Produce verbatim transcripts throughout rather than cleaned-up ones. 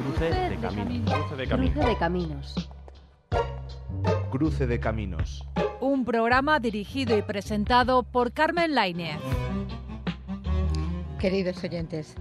Cruce de caminos. Cruce de caminos. Cruce de caminos. Cruce de caminos. Un programa dirigido y presentado por Carmen Lainez. Queridos oyentes,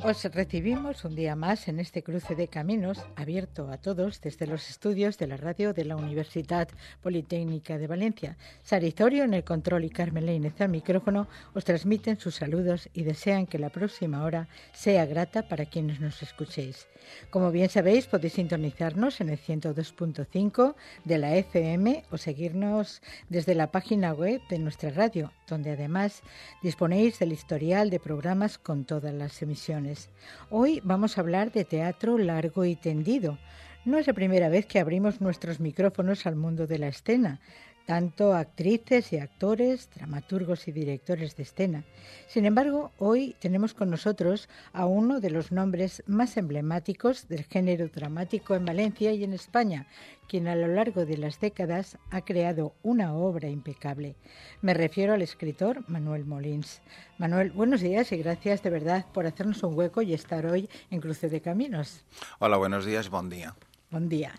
os recibimos un día más en este cruce de caminos abierto a todos desde los estudios de la radio de la Universidad Politécnica de Valencia. Sarizorio en el control y Carmen Lainez al micrófono os transmiten sus saludos y desean que la próxima hora sea grata para quienes nos escuchéis. Como bien sabéis, podéis sintonizarnos en el ciento dos punto cinco de la F M o seguirnos desde la página web de nuestra radio, donde además disponéis del historial de programas con todas las emisiones. Hoy vamos a hablar de teatro largo y tendido. No es la primera vez que abrimos nuestros micrófonos al mundo de la escena, tanto actrices y actores, dramaturgos y directores de escena. Sin embargo, hoy tenemos con nosotros a uno de los nombres más emblemáticos del género dramático en Valencia y en España, quien a lo largo de las décadas ha creado una obra impecable. Me refiero al escritor Manuel Molins. Manuel, buenos días y gracias de verdad por hacernos un hueco y estar hoy en Cruce de Caminos. Hola, buenos días, buen día. Buen día.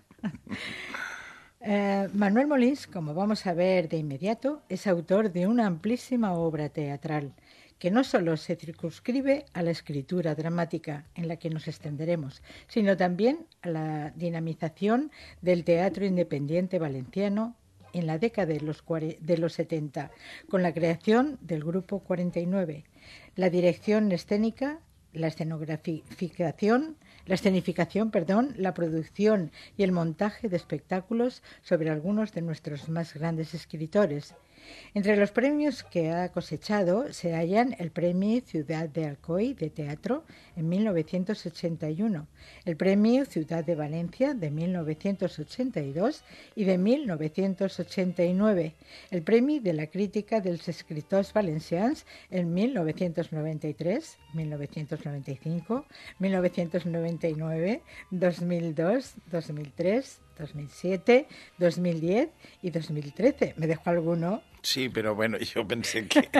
Eh, Manuel Molins, como vamos a ver de inmediato, es autor de una amplísima obra teatral que no solo se circunscribe a la escritura dramática, en la que nos extenderemos, sino también a la dinamización del teatro independiente valenciano en la década de los, de los setenta, con la creación del Grupo cuarenta y nueve, la dirección escénica, la escenograficación, la escenificación, perdón, la producción y el montaje de espectáculos sobre algunos de nuestros más grandes escritores. Entre los premios que ha cosechado se hallan el Premio Ciudad de Alcoy de Teatro en mil novecientos ochenta y uno, el Premio Ciudad de Valencia de mil novecientos ochenta y dos y de mil novecientos ochenta y nueve, el Premio de la Crítica dels Escritors Valencians en mil novecientos noventa y tres, mil novecientos noventa y cinco, mil novecientos noventa y nueve, dos mil dos, dos mil tres, dos mil siete, dos mil diez y dos mil trece. ¿Me dejo alguno? Sí, pero bueno, yo pensé que,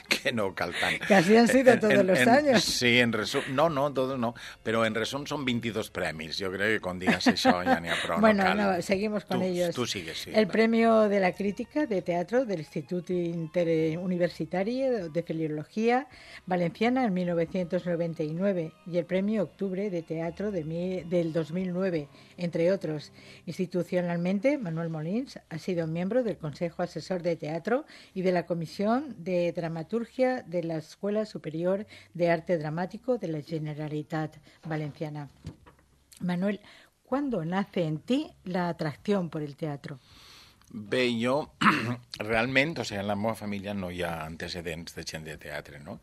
que no calcan. Casi han sido todos en, los en, años. Sí, en resumen, no, no, todos no, pero en resumen son veintidós premis. Yo creo que con digas eso ya ni a prou. Bueno, no, cal. no, seguimos con tú, ellos. Tú sigues, sí. El va. Premio de la Crítica de Teatro del Instituto Interuniversitario de Filología Valenciana en mil novecientos noventa y nueve y el Premio Octubre de Teatro de mi, del dos mil nueve, entre otros. Institucionalmente, Manuel Molins ha sido miembro del Consejo Asesor de Teatro y de la Comisión de Dramaturgia de la Escuela Superior de Arte Dramático de la Generalitat Valenciana. Manuel, ¿cuándo nace en ti la atracción por el teatro? Bé, jo, realment, o sigui, en la meva família no hi ha antecedents de gent de teatre, no?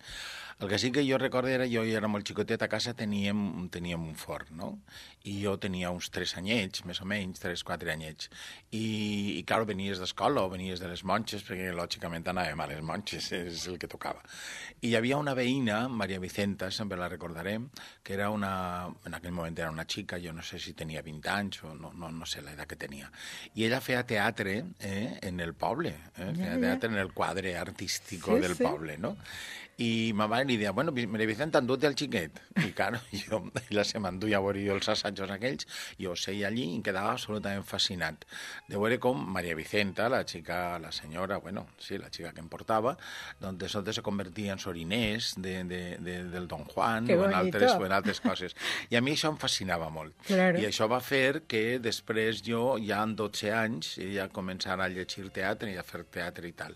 El que sí que jo recordo era, jo era molt xicotet, a casa teníem, teníem un forn, no? I jo tenia uns tres anyets, més o menys, tres, quatre anyets. I, i clar, venies d'escola o venies de les monges, perquè lògicament anàvem a les monges, és el que tocava. I hi havia una veïna, Maria Vicenta, sempre la recordarem, que era una, en aquell moment era una xica, jo no sé si tenia vint anys o no, no, no sé l'edat que tenia. I ella feia teatre eh, en el poble, eh? feia teatre en el quadre artístico sí, del sí. poble, no? I ma mare li deia, bueno, Maria Vicenta, endú-te el xiquet. I, claro, jo, ella se m'enduia a veure jo els assajos aquells, jo seia allí i em quedava absolutament fascinat de veure com Maria Vicenta, la xica, la senyora, bueno, sí, la xica que em portava, doncs de sobte se convertia en soriners de, de, de, del Don Juan o en, altres, o en altres coses. I a mi això em fascinava molt. Claro. I això va fer que després jo, ja en dotze anys, ja començara a llegir teatre i a fer teatre i tal.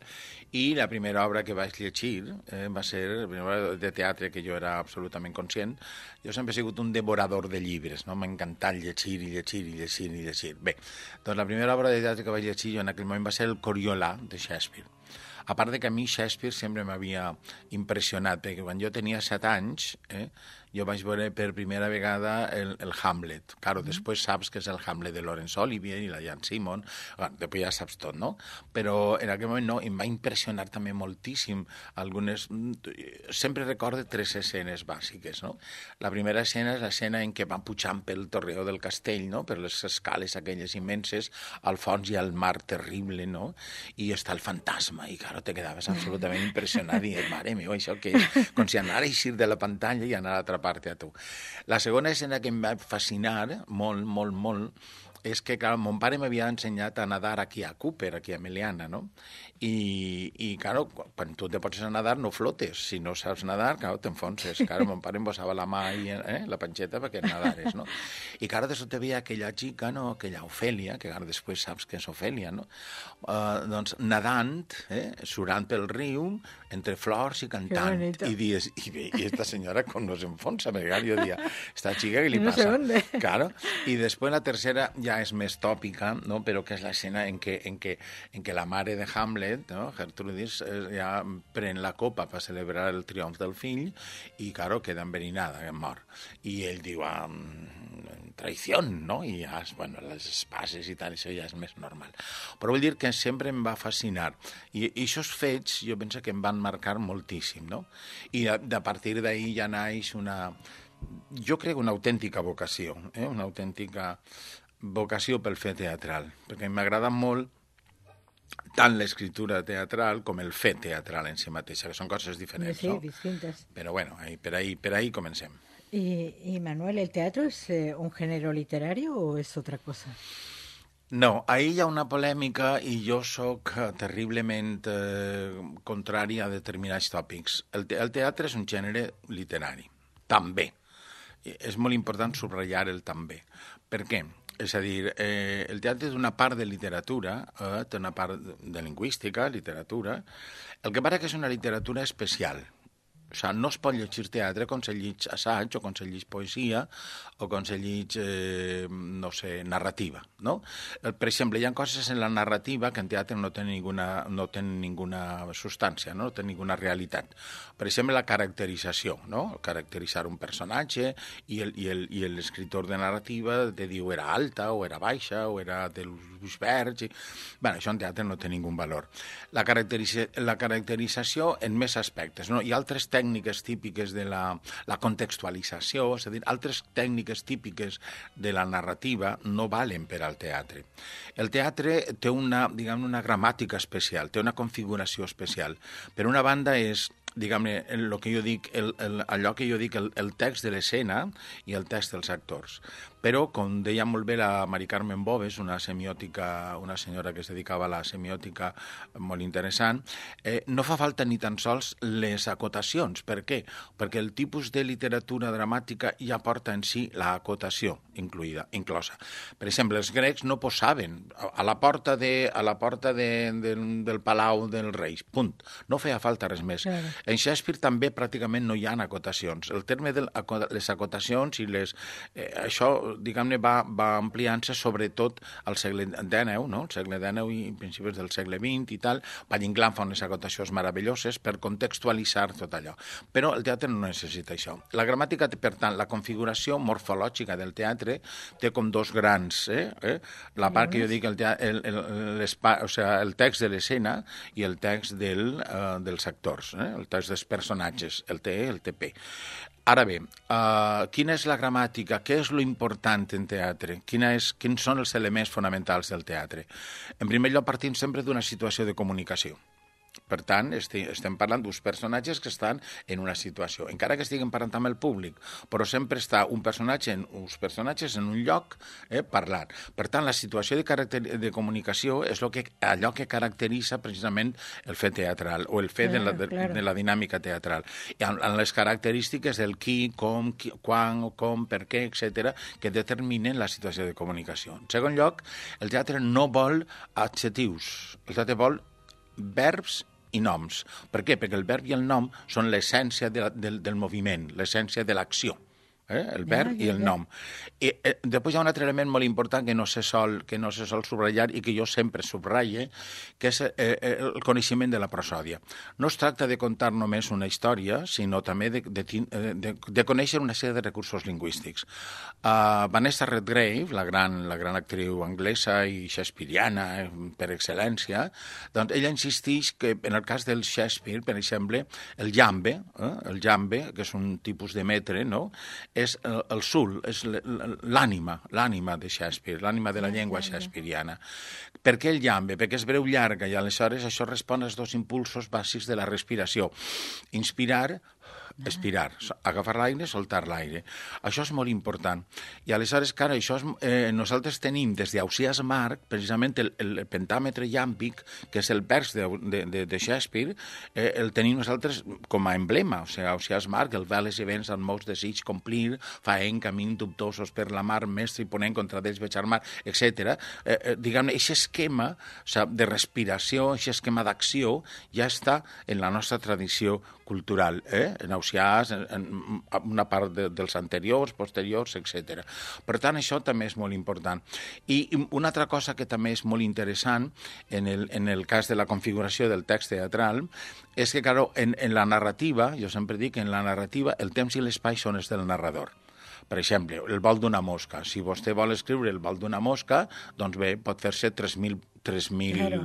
I la primera obra que vaig llegir eh, va ser la primera obra de teatre que jo era absolutament conscient. Jo sempre he sigut un devorador de llibres, no? M'ha encantat llegir i llegir i llegir i llegir. Bé, doncs la primera obra de teatre que vaig llegir jo en aquell moment va ser el Coriolà de Shakespeare. A part de que a mi Shakespeare sempre m'havia impressionat, perquè quan jo tenia set anys, eh, jo vaig veure per primera vegada el, el Hamlet. Claro, mm. després saps que és el Hamlet de Laurence Olivier i la Jan Simon, bueno, després ja saps tot, no? Però en aquell moment no, em va impressionar també moltíssim algunes... Sempre recordo tres escenes bàsiques, no? La primera escena és l'escena en què van pujant pel torreó del castell, no? Per les escales aquelles immenses, al fons hi ha el mar terrible, no? I està el fantasma, i claro, te quedaves absolutament impressionat i mare meva, això què és? Com si anara a eixir de la pantalla i anar a atrapar part a tu. La segona escena que em va fascinar molt, molt, molt, és que, clar, mon pare m'havia ensenyat a nadar aquí a Cooper, aquí a Meliana, no? I, i claro, quan tu te pots a nadar no flotes. Si no saps nadar, claro, t'enfonses. Claro, mon pare em posava la mà i eh, la panxeta perquè nadares, no? I claro, de sobte veia aquella xica, no? Aquella Ofèlia, que ara després saps que és Ofèlia, no? Uh, doncs nadant, eh? Surant pel riu, entre flors i cantant. I dius, i, i esta senyora com no s'enfonsa, perquè jo dia, esta xica que li no passa? No sé claro. I després la tercera ja és més tòpica, no? Però que és l'escena en què, en, què, en què la mare de Hamlet, no? Gertrudis, ja pren la copa per celebrar el triomf del fill i, claro, queda enverinada, mor. I ell diu, ah, traïció, no? I ja, bueno, les espases i tal, això ja és més normal. Però vull dir que sempre em va fascinar. I, i aquests fets jo penso que em van marcar moltíssim, no? I a, a partir d'ahir ja naix una, jo crec una autèntica vocació, eh? Una autèntica vocació pel fer teatral, perquè m'agrada molt tant l'escriptura teatral com el fer teatral en si mateixa, que són coses diferents, sí, no? Distintas. Però bueno, ahí, per, ahí, per ahí comencem. Y, y Manuel, ¿el teatro es eh, un género literario o es otra cosa? No, ahí hi ha una polèmica i jo sóc terriblement eh, contrari a determinats tòpics. El, te el teatre és un gènere literari, també. És molt important subratllar el també. Per què? És a dir, eh, el teatre és una part de literatura, eh, té una part de lingüística, literatura. El que passa que és una literatura especial. O sigui, no es pot llegir teatre com se llig assaig o com se llig poesia o com se llig, eh, no sé, narrativa, no? Per exemple, hi ha coses en la narrativa que en teatre no tenen ninguna, no tenen ninguna substància, no? No tenen ninguna realitat. Per exemple, la caracterització, no? Caracteritzar un personatge i l'escriptor de narrativa te diu era alta o era baixa o era dels verds. I... Bé, això en teatre no té ningú valor. La, caracteritza la caracterització en més aspectes, no? Hi ha altres tècniques típiques de la, la contextualització, és a dir, altres tècniques típiques de la narrativa no valen per al teatre. El teatre té una, diguem, una gramàtica especial, té una configuració especial. Per una banda és, diguem-ne, el que jo dic, el, el, allò que jo dic, el, el text de l'escena i el text dels actors. Però, com deia molt bé la Mari Carmen Boves, una semiòtica, una senyora que es dedicava a la semiòtica molt interessant, eh, no fa falta ni tan sols les acotacions. Per què? Perquè el tipus de literatura dramàtica ja porta en si l'acotació incluïda, inclosa. Per exemple, els grecs no posaven a la porta, de, a la porta de, de, del Palau dels Reis, punt. No feia falta res més. Claro. En Shakespeare també pràcticament no hi ha acotacions. El terme de les acotacions i les... Eh, això, diguem-ne, va, va ampliant-se sobretot al segle dènou, no? El segle dènou i principis del segle vint i tal. Valle-Inclán fa unes acotacions meravelloses per contextualitzar tot allò. Però el teatre no necessita això. La gramàtica, per tant, la configuració morfològica del teatre té com dos grans, eh? eh? La part que jo dic, el, el, el, el, o sigui, el text de l'escena i el text del, uh, dels actors, eh? El text dels personatges, el T E, el T P. Ara bé, uh, quina és la gramàtica? Què és lo important en teatre? Quina és, quins són els elements fonamentals del teatre? En primer lloc, partim sempre d'una situació de comunicació. Per tant, estem parlant d'uns personatges que estan en una situació, encara que estiguem parlant amb el públic, però sempre està un personatge en, uns personatges en un lloc eh, parlant. Per tant, la situació de, caracter, de comunicació és lo que, allò que caracteritza precisament el fet teatral o el fet claro, de, la, de, claro. de la dinàmica teatral. I amb, amb les característiques del qui, com, qui, quan, com, per què, etcètera, que determinen la situació de comunicació. En segon lloc, el teatre no vol adjectius, el teatre vol verbs i noms. Per què? Perquè el verb i el nom són l'essència de la, del, del moviment, l'essència de l'acció. Eh? El verb ja, ja, i el nom. I, eh, després hi ha un altre element molt important que no se sol, que no se sol subratllar i que jo sempre subratllo, que és eh, el coneixement de la prosòdia. No es tracta de contar només una història, sinó també de, de, de, de conèixer una sèrie de recursos lingüístics. Uh, Vanessa Redgrave, la gran, la gran actriu anglesa i shakespeariana eh, per excel·lència, doncs ella insisteix que en el cas del Shakespeare, per exemple, el jambe, eh, el jambe, que és un tipus de metre, no?, és el, el sul, és l'ànima, l'ànima de Shakespeare, l'ànima de la llengua shakespeariana. Per què el jambe? Perquè és breu llarga i aleshores això respon als dos impulsos bàsics de la respiració. Inspirar, expirar, agafar l'aire, soltar l'aire. Això és molt important. I aleshores, cara, això és, eh, nosaltres tenim des d'Ausiàs Marc, precisament el, el pentàmetre llàmpic, que és el vers de, de, de, de Shakespeare, eh, el tenim nosaltres com a emblema. O sigui, Ausiàs Marc, el veles i vents amb molts desig complir, faent camins dubtosos per la mar, mestre i ponent contra d'ells veig armar, etcètera. Eh, eh, diguem-ne, aquest esquema o sigui, de respiració, aquest esquema d'acció, ja està en la nostra tradició cultural, eh? en Ausiàs, en, en una part de, dels anteriors, posteriors, etcètera. Per tant, això també és molt important. I una altra cosa que també és molt interessant en el, en el cas de la configuració del text teatral és que, claro, en, en la narrativa, jo sempre dic que en la narrativa el temps i l'espai són els del narrador. Per exemple, el vol d'una mosca. Si vostè vol escriure el vol d'una mosca, doncs bé, pot fer-se tres mil claro.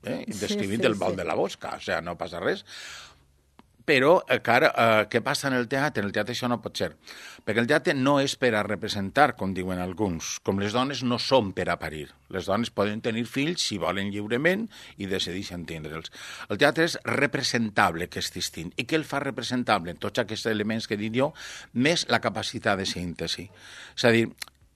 eh, descrivint sí, sí, el vol sí. de la mosca. O sigui, no passa res. Però, cara, eh, què passa en el teatre? En el teatre això no pot ser. Perquè el teatre no és per a representar, com diuen alguns. Com les dones no són per a parir. Les dones poden tenir fills si volen lliurement i decideixen tindre'ls. El teatre és representable, que és distint. I què el fa representable? Tots aquests elements que he dit jo, més la capacitat de síntesi. És a dir,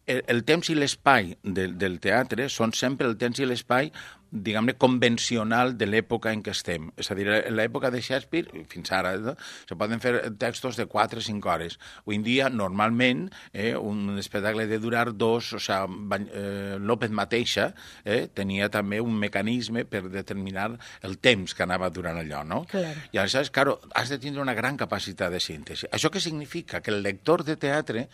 el, el temps i l'espai del, del teatre són sempre el temps i l'espai diguem-ne, convencional de l'època en què estem. És a dir, en l'època de Shakespeare, fins ara, no? Se poden fer textos de quatre o cinc hores. Avui en dia, normalment, eh, un espectacle de durar dos, o sigui, eh, López mateixa eh, tenia també un mecanisme per determinar el temps que anava durant allò, no? Claro. I aleshores, claro, has de tindre una gran capacitat de síntesi. Això què significa? Que el lector de teatre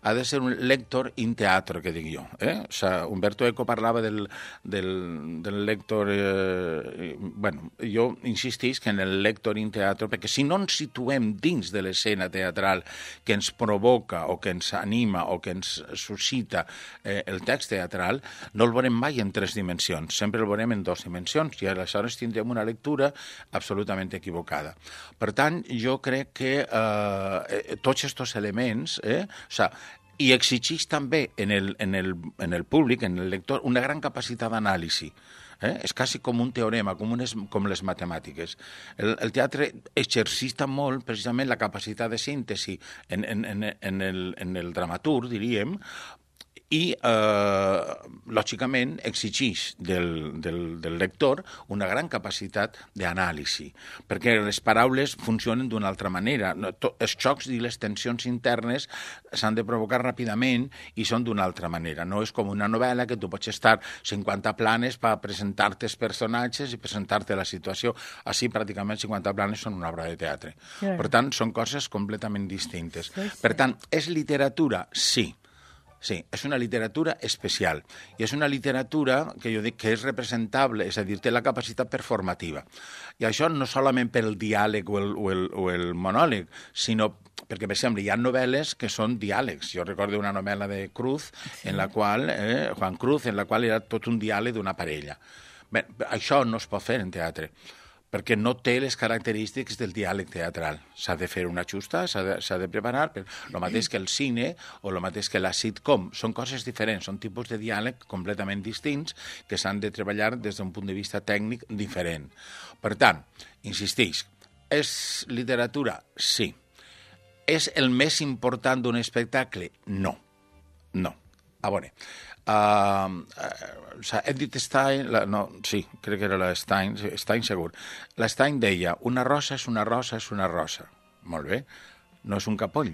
ha de ser un lector in teatro, que dic jo. Eh? O sigui, Umberto Eco parlava del, del, del lector, eh, bueno, jo insistís que en el lector in teatro, perquè si no ens situem dins de l'escena teatral que ens provoca o que ens anima o que ens suscita eh, el text teatral, no el veurem mai en tres dimensions, sempre el veurem en dues dimensions i aleshores tindrem una lectura absolutament equivocada. Per tant, jo crec que eh, tots aquests elements, eh, o sigui, i exigeix també en el, en, el, en el públic, en el lector, una gran capacitat d'anàlisi. Eh? És quasi com un teorema, com, unes, com les matemàtiques. El, el teatre exercita molt precisament la capacitat de síntesi en, en, en, en, el, en el dramaturg, diríem, i, eh, lògicament, exigeix del, del, del lector una gran capacitat d'anàlisi, perquè les paraules funcionen d'una altra manera. Els xocs i les tensions internes s'han de provocar ràpidament i són d'una altra manera. No és com una novel·la que tu pots estar cinquanta planes per presentar-te els personatges i presentar-te la situació. Així, pràcticament, cinquanta planes són una obra de teatre. Sí. Per tant, són coses completament distintes. Sí, sí. Per tant, és literatura? Sí. Sí, és una literatura especial i és una literatura que jo dic que és representable, és a dir, té la capacitat performativa. I això no solament per el diàleg o el, o el, o el monòleg, sinó perquè, per exemple, hi ha novel·les que són diàlegs. Jo recordo una novel·la de Cruz, sí. en la qual, eh, Juan Cruz, en la qual era tot un diàleg d'una parella. Bé, això no es pot fer en teatre, perquè no té les característiques del diàleg teatral. S'ha de fer una justa, s'ha de, s'ha de preparar, però el mateix que el cine o el mateix que la sitcom. Són coses diferents, són tipus de diàleg completament distints que s'han de treballar des d'un punt de vista tècnic diferent. Per tant, insisteix, és literatura? Sí. És el més important d'un espectacle? No. No. A veure, uh, uh, Edith Stein, la, no, sí, crec que era la Stein, Stein segur. La Stein deia, una rosa és una rosa és una rosa. Molt bé, no és un capoll.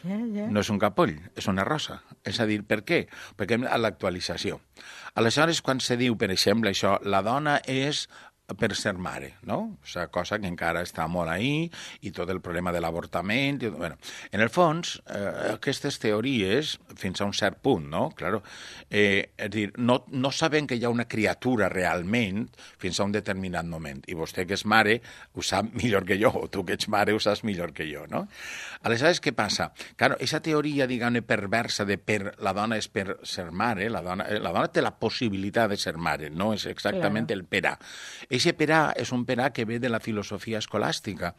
Yeah, yeah. No és un capoll, és una rosa. És a dir, per què? Perquè a l'actualització. Aleshores, quan se diu, per exemple, això, la dona és per ser mare, no? O sigui, cosa que encara està molt ahí, i tot el problema de l'avortament. I, bueno, en el fons, eh, aquestes teories, fins a un cert punt, no? Claro, eh, és dir, no, no sabem que hi ha una criatura realment fins a un determinat moment. I vostè que és mare ho sap millor que jo, o tu que ets mare ho saps millor que jo, no? Aleshores, què passa? Claro, aquesta teoria, diguem-ne, perversa de per la dona és per ser mare, la dona, la dona té la possibilitat de ser mare, no és exactament claro. El per a. Eixe per a és un per a que ve de la filosofia escolàstica.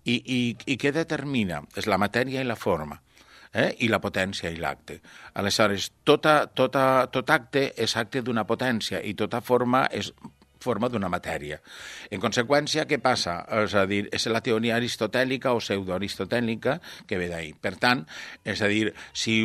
I, i, i què determina? És la matèria i la forma, eh? I la potència i l'acte. Aleshores, tota, tota, tot acte és acte d'una potència i tota forma és forma d'una matèria. En conseqüència, què passa? És a dir, és la teoria aristotèlica o pseudoaristotèlica que ve d'ahir. Per tant, és a dir, si,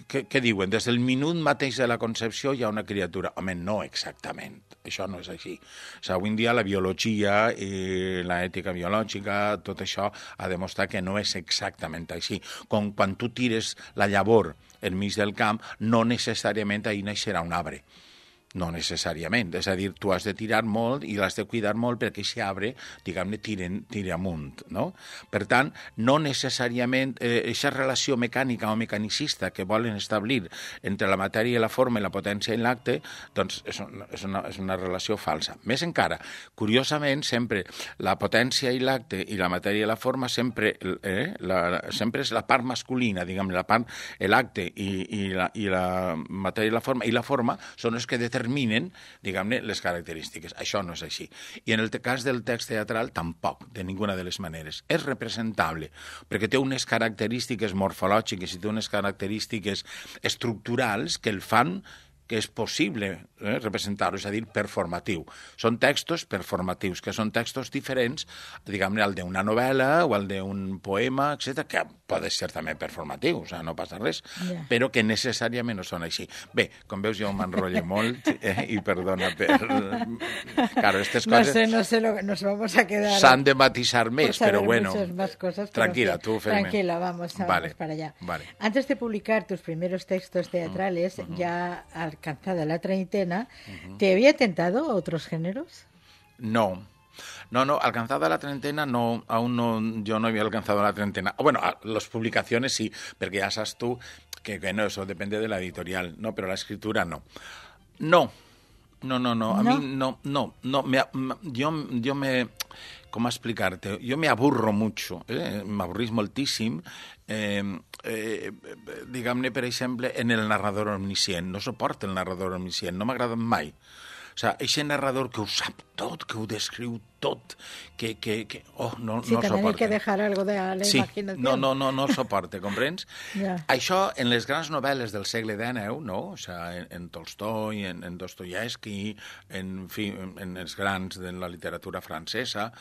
què, què diuen? Des del minut mateix de la concepció hi ha una criatura. Home, no exactament. Això no és així. O sigui, avui en dia la biologia i l'ètica biològica, tot això ha demostrat que no és exactament així. Com quan tu tires la llavor enmig del camp, no necessàriament ahir naixerà un arbre. No necessàriament, és a dir, tu has de tirar molt i l'has de cuidar molt perquè aquest arbre, diguem-ne, tiri amunt, no? Per tant, no necessàriament aquesta eh, relació mecànica o mecanicista que volen establir entre la matèria i la forma i la potència i l'acte, doncs és una, és, una, és una relació falsa. Més encara, curiosament, sempre la potència i l'acte i la matèria i la forma sempre, eh, la, sempre és la part masculina, diguem-ne, la part, l'acte i, i, la, i la matèria i la forma, i la forma són els que determinen determinen, diguem-ne, les característiques. Això no és així. I en el cas del text teatral, tampoc, de ninguna de les maneres. És representable, perquè té unes característiques morfològiques i té unes característiques estructurals que el fan que és possible eh, representar-ho, és a dir, performatiu. Són textos performatius, que són textos diferents, diguem-ne, al d'una novel·la o al d'un poema, etcètera, que pot ser també performatiu, o sigui, no passa res, yeah. Però que necessàriament no són així. Bé, com veus, jo m'enrotllo molt eh, i perdona per... Claro, estas no coses... Sé, no sé, lo que nos vamos a quedar... S'han de matisar més, però bueno... Más cosas, tranquila, pero tú, Fermín. Tranquila, vamos, vamos vale. para allá. Vale. Antes de publicar tus primeros textos teatrales, uh-huh. ya alcanzada la treintena, uh-huh. ¿te había tentado otros géneros? No. No, no, alcanzada la treintena, no, aún no, yo no había alcanzado la treintena. Bueno, las publicaciones sí, porque ya sabes tú que, que no, eso depende de la editorial, no, pero la escritura no. No, no, no, no, a ¿No? mí no, no, no, me, yo, yo me... ¿Cómo explicarte? Yo me aburro mucho, eh? m'avorrís moltíssim, eh, eh, diguem-ne, per exemple, en el narrador omniscient. No suporto el narrador omniscient, no m'agrada mai. O sigui, aquest narrador que ho sap tot, que ho descriu tot, que, que, que oh, no, sí, no también soporta. hay que dejar algo de la sí, imaginación. No, no, no, no soporta, comprens? yeah. Això, en les grans novel·les del segle dinou, no? O sigui, en, en Tolstoi, en, en Dostoievski, en, fi, en, en els grans de la literatura francesa,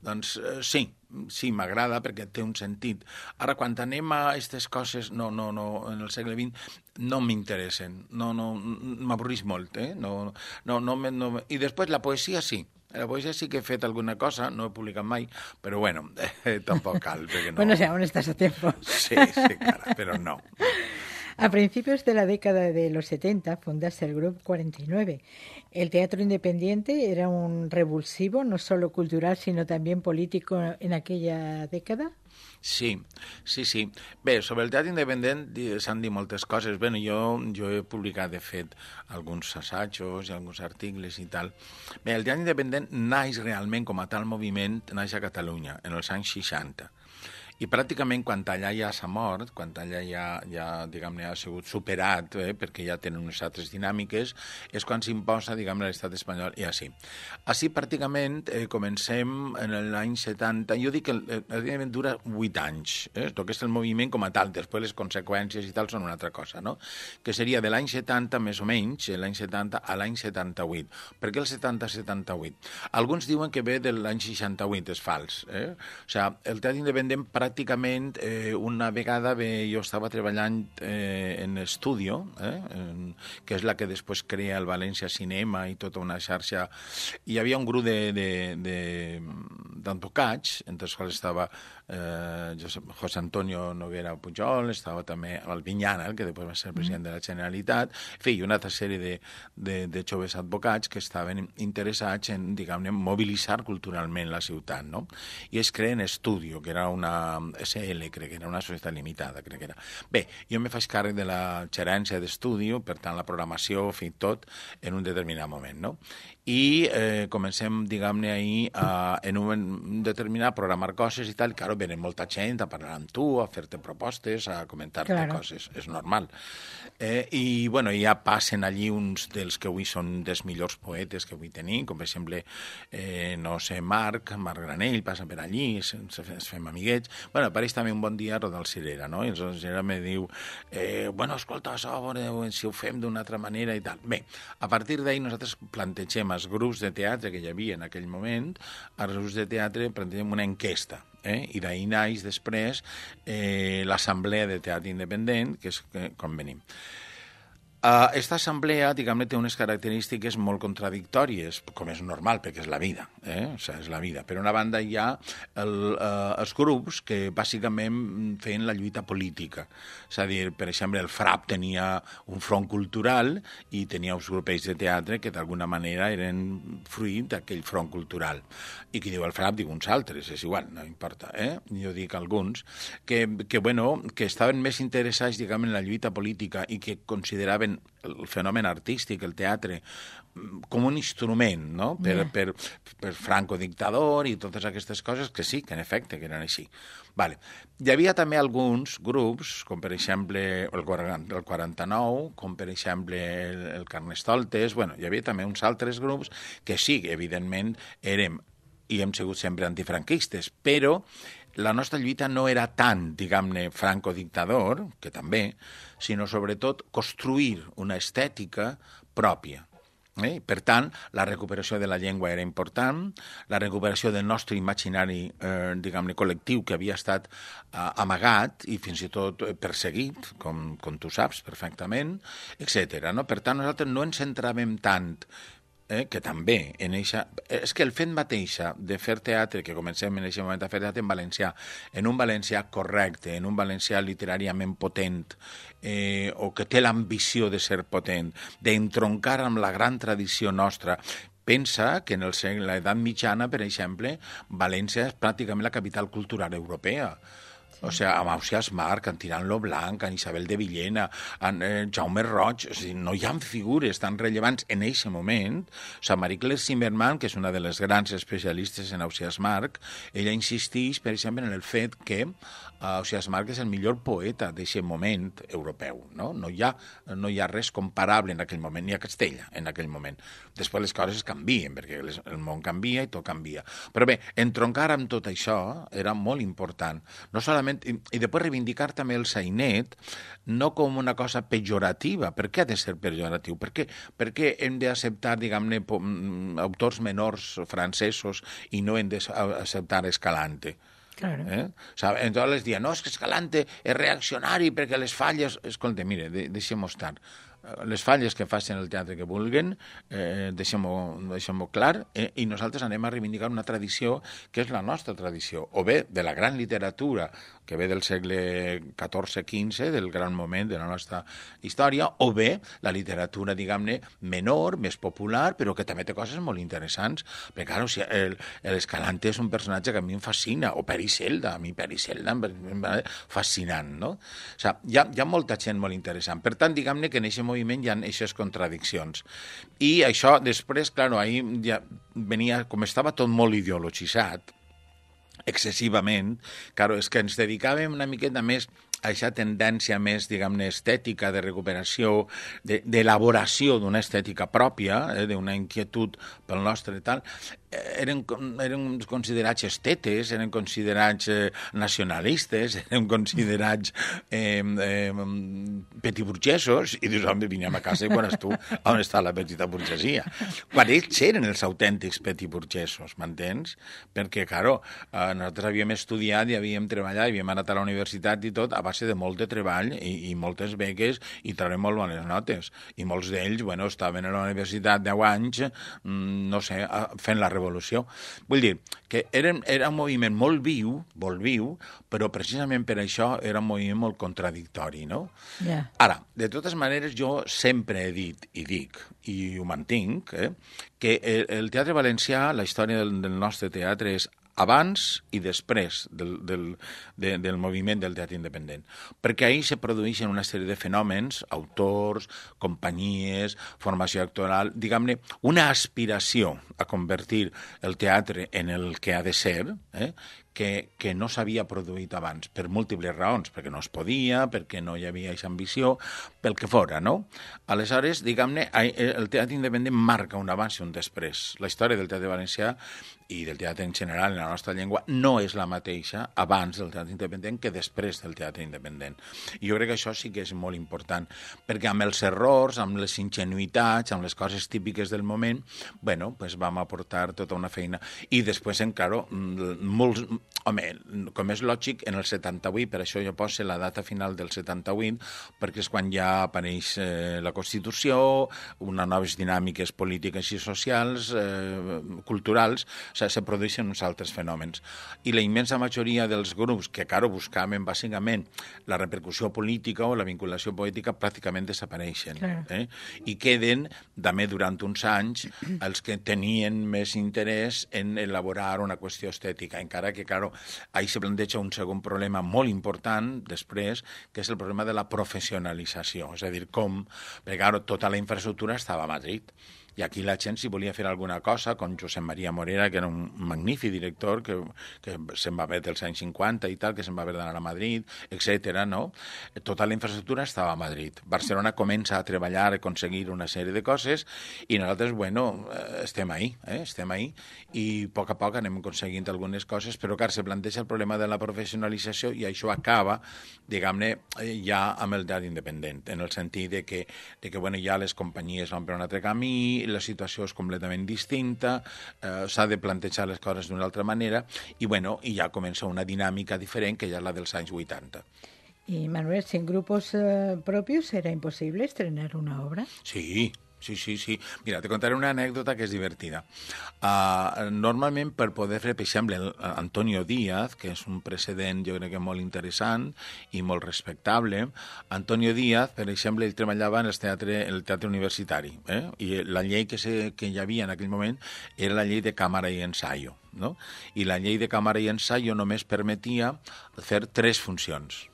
doncs eh, sí, sí, m'agrada perquè té un sentit. Ara, quan anem a aquestes coses, no, no, no, en el segle vint, no m'interessen, no, no, m'avorrís molt, eh? No, no, no, no, I després la poesia sí. La poesia sí que he fet alguna cosa, no he publicat mai, però bueno, eh, tampoc cal. No... Bueno, si aún estás a tiempo. Sí, sí, cara, pero no. A principios de la década de los setenta fundaste el Grup cuarenta y nueve. El teatro independiente era un revulsivo, no solo cultural, sino también político en aquella década. Sí, sí, sí. Bé, sobre el teatre independent s'han dit moltes coses. Bé, jo, jo he publicat, de fet, alguns assajos i alguns articles i tal. Bé, el teatre independent naix realment com a tal moviment, naix a Catalunya, en els anys seixanta. I pràcticament quan allà ja s'ha mort, quan allà ja, ja diguem-ne, ha sigut superat, eh, perquè ja tenen unes altres dinàmiques, és quan s'imposa, diguem-ne, l'estat espanyol i així. Així, pràcticament, eh, comencem en l'any setanta, jo dic que el, el, el dura vuit anys, eh? Tot que és el moviment com a tal, després les conseqüències i tal són una altra cosa, no? Que seria de l'any setanta, més o menys, l'any setanta a l'any setanta-vuit. Per què el setanta a setanta-vuit? Alguns diuen que ve de l'any seixanta-vuit, és fals, eh? O sigui, el teatre independent pràcticament eh, una vegada bé, jo estava treballant eh, en Estudio, eh, en, que és la que després crea el València Cinema i tota una xarxa. Hi havia un grup d'advocats, entre els quals estava eh, Josep, José Antonio Noguera Pujol, estava també el Vinyana, que després va ser el president de la Generalitat, en fi, una altra sèrie de, de, de joves advocats que estaven interessats en, diguem-ne, mobilitzar culturalment la ciutat, no? I es creen Estudio, que era una S L, crec que era una societat limitada, crec que era. Bé, jo me faig càrrec de la gerència d'Estudio, per tant, la programació, fi, tot, en un determinat moment, no? I eh, comencem, diguem-ne, ahir a, en un determinat a programar coses i tal, i, claro, venen molta gent a parlar amb tu, a fer-te propostes, a comentar-te claro. Coses, és normal. Eh, I, bueno, ja passen allí uns dels que avui són dels millors poetes que avui tenim, com per exemple, eh, no sé, Marc, Marc Granell, passa per allí, ens, ens fem amiguets, Bueno, apareix també un bon dia Rodal Cirera, no? I el Cirera me diu, eh, bueno, escolta, això, si ho fem d'una altra manera i tal. Bé, a partir d'ahir nosaltres plantegem als grups de teatre que hi havia en aquell moment, als grups de teatre plantegem una enquesta, eh? I d'ahir naix després eh, l'Assemblea de Teatre Independent, que és eh, com venim. Aquesta assemblea, diguem-ne, té unes característiques molt contradictòries, com és normal, perquè és la vida, eh? O sigui, és la vida. Per una banda hi ha el, eh, els grups que bàsicament feien la lluita política. És a dir, per exemple, el FRAP tenia un front cultural i tenia uns grupells de teatre que d'alguna manera eren fruit d'aquell front cultural. I qui diu el FRAP, diu uns altres, és igual, no importa, eh? Jo dic alguns, que, que, bueno, que estaven més interessats, diguem, en la lluita política i que consideraven el fenomen artístic, el teatre, com un instrument, no? Per, yeah. per, per Franco dictador i totes aquestes coses, que sí, que en efecte, que eren així. Vale. Hi havia també alguns grups, com per exemple el quaranta-nou, com per exemple el, el Carnestoltes, bueno, hi havia també uns altres grups que sí, evidentment, érem i hem sigut sempre antifranquistes, però la nostra lluita no era tant, diguem-ne, franco-dictador, que també, sinó sobretot construir una estètica pròpia. Eh? Per tant, la recuperació de la llengua era important, la recuperació del nostre imaginari, eh, diguem-ne, col·lectiu, que havia estat eh, amagat i fins i tot perseguit, com, com tu saps perfectament, etcètera. No? Per tant, nosaltres no ens centràvem tant Eh, que també en eixa... És que el fet mateixa de fer teatre, que comencem en aquest moment a fer teatre en valencià, en un valencià correcte, en un valencià literàriament potent, eh, o que té l'ambició de ser potent, d'entroncar amb la gran tradició nostra. Pensa que en l'edat mitjana, per exemple, València és pràcticament la capital cultural europea. O sigui, amb Ausiàs Marc, en Tirant lo Blanc, en Isabel de Villena, en eh, Jaume Roig, o sigui, no hi ha figures tan rellevants en aquest moment. O sigui, Marie-Claire Zimmermann, que és una de les grans especialistes en Ausiàs Marc, ella insisteix, per exemple, en el fet que uh, Ausiàs Marc és el millor poeta d'aquest moment europeu. No? No, hi ha, no hi ha res comparable en aquell moment, ni a Castella en aquell moment. Després les coses canvien, perquè les, el món canvia i tot canvia. Però bé, entroncar amb tot això era molt important. No solament I, i després reivindicar també el sainet no com una cosa pejorativa. Per què ha de ser pejoratiu? Per què, per què hem d'acceptar, diguem-ne, autors menors francesos i no hem d'acceptar Escalante? Claro. Eh? O sigui, entonces les diuen, no, és que Escalante és reaccionari perquè les falles... Escolta, mire, de, deixem-ho estar. Les falles que facin el teatre que vulguen, eh, deixem-ho deixem clar, eh, i nosaltres anem a reivindicar una tradició que és la nostra tradició, o bé de la gran literatura, que ve del segle catorze quinze, del gran moment de la nostra història, o bé la literatura, diguem-ne, menor, més popular, però que també té coses molt interessants. Perquè, clar, o sigui, l'Escalante és un personatge que a mi em fascina, o Peri Selda, a mi Peri Selda em va fascinant, no? O sigui, hi ha, hi ha molta gent molt interessant. Per tant, diguem-ne que en aquest moviment hi ha aquestes contradiccions. I això, després, clar, ahir ja venia, com estava tot molt ideologitzat, excessivament, clar, és que ens dedicàvem una miqueta més a aquesta tendència més, diguem-ne, estètica, de recuperació, d'elaboració d'una estètica pròpia, eh, d'una inquietud pel nostre i tal, eren, eren considerats estetes, eren considerats eh, nacionalistes, eren considerats eh, eh, petitburgesos, i dius, home, vinguem a casa i quan tu, on està la petita burgesia? Quan ells eren els autèntics petitburgesos, m'entens? Perquè, claro, eh, nosaltres havíem estudiat i havíem treballat, havíem anat a la universitat i tot, a base de molt de treball i, i moltes beques i traurem molt bones notes. I molts d'ells, bueno, estaven a la universitat deu anys, no sé, fent la revolució. Vull dir que era, era un moviment molt viu, molt viu, però precisament per això era un moviment molt contradictori, no? Yeah. Ara, de totes maneres, jo sempre he dit, i dic, i ho mantinc, eh, que el, el teatre valencià, la història del, del nostre teatre és abans i després del, del, de, del moviment del teatre independent. Perquè ahir se produeixen una sèrie de fenòmens, autors, companyies, formació actoral, diguem-ne, una aspiració a convertir el teatre en el que ha de ser, eh, que, que no s'havia produït abans, per múltiples raons, perquè no es podia, perquè no hi havia aquesta ambició, pel que fora, no? Aleshores, diguem-ne, el teatre independent marca un abans i un després. La història del teatre valencià i del teatre en general en la nostra llengua no és la mateixa abans del teatre independent que després del teatre independent. I jo crec que això sí que és molt important, perquè amb els errors, amb les ingenuïtats, amb les coses típiques del moment, bueno, pues vam aportar tota una feina. I després, encara, molts... Home, com és lògic, en el setanta-vuit, per això jo poso la data final del setanta-vuit, perquè és quan ja apareix eh, la Constitució, unes noves dinàmiques polítiques i socials, eh, culturals, o sigui, se produeixen uns altres fenòmens. I la immensa majoria dels grups que, claro, buscaven bàsicament la repercussió política o la vinculació poètica pràcticament desapareixen. Claro. Eh? I queden, també durant uns anys, els que tenien més interès en elaborar una qüestió estètica, encara que, claro, ahí se planteja un segon problema molt important després, que és el problema de la professionalització. És a dir, com, perquè, claro, tota la infraestructura estava a Madrid. I aquí la gent, si volia fer alguna cosa, com Josep Maria Morera, que era un magnífic director, que, que se'n va haver dels anys cinquanta i tal, que se'n va haver d'anar a Madrid, etcètera, no? Tota la infraestructura estava a Madrid. Barcelona comença a treballar, a aconseguir una sèrie de coses, i nosaltres, bueno, estem ahí, eh? estem ahí, i a poc a poc anem aconseguint algunes coses, però, clar, se planteja el problema de la professionalització i això acaba, diguem-ne, ja amb el teatre independent, en el sentit de que, de que bueno, ja les companyies van per un altre camí, la situació és completament distinta, eh, s'ha de plantejar les coses d'una altra manera i, bueno, i ja comença una dinàmica diferent que ja és la dels anys vuitanta. Y, Manuel, sin grupos eh, propios era imposible estrenar una obra. Sí, sí, sí, sí. Mira, te contaré una anècdota que és divertida. Uh, normalment, per poder fer, per exemple, Antonio Díaz, que és un precedent, jo crec que molt interessant i molt respectable, Antonio Díaz, per exemple, ell treballava en el teatre, en el teatre universitari, eh? I la llei que, se, que hi havia en aquell moment era la llei de càmera i ensaio, no? I la llei de càmera i ensaio només permetia fer tres funcions.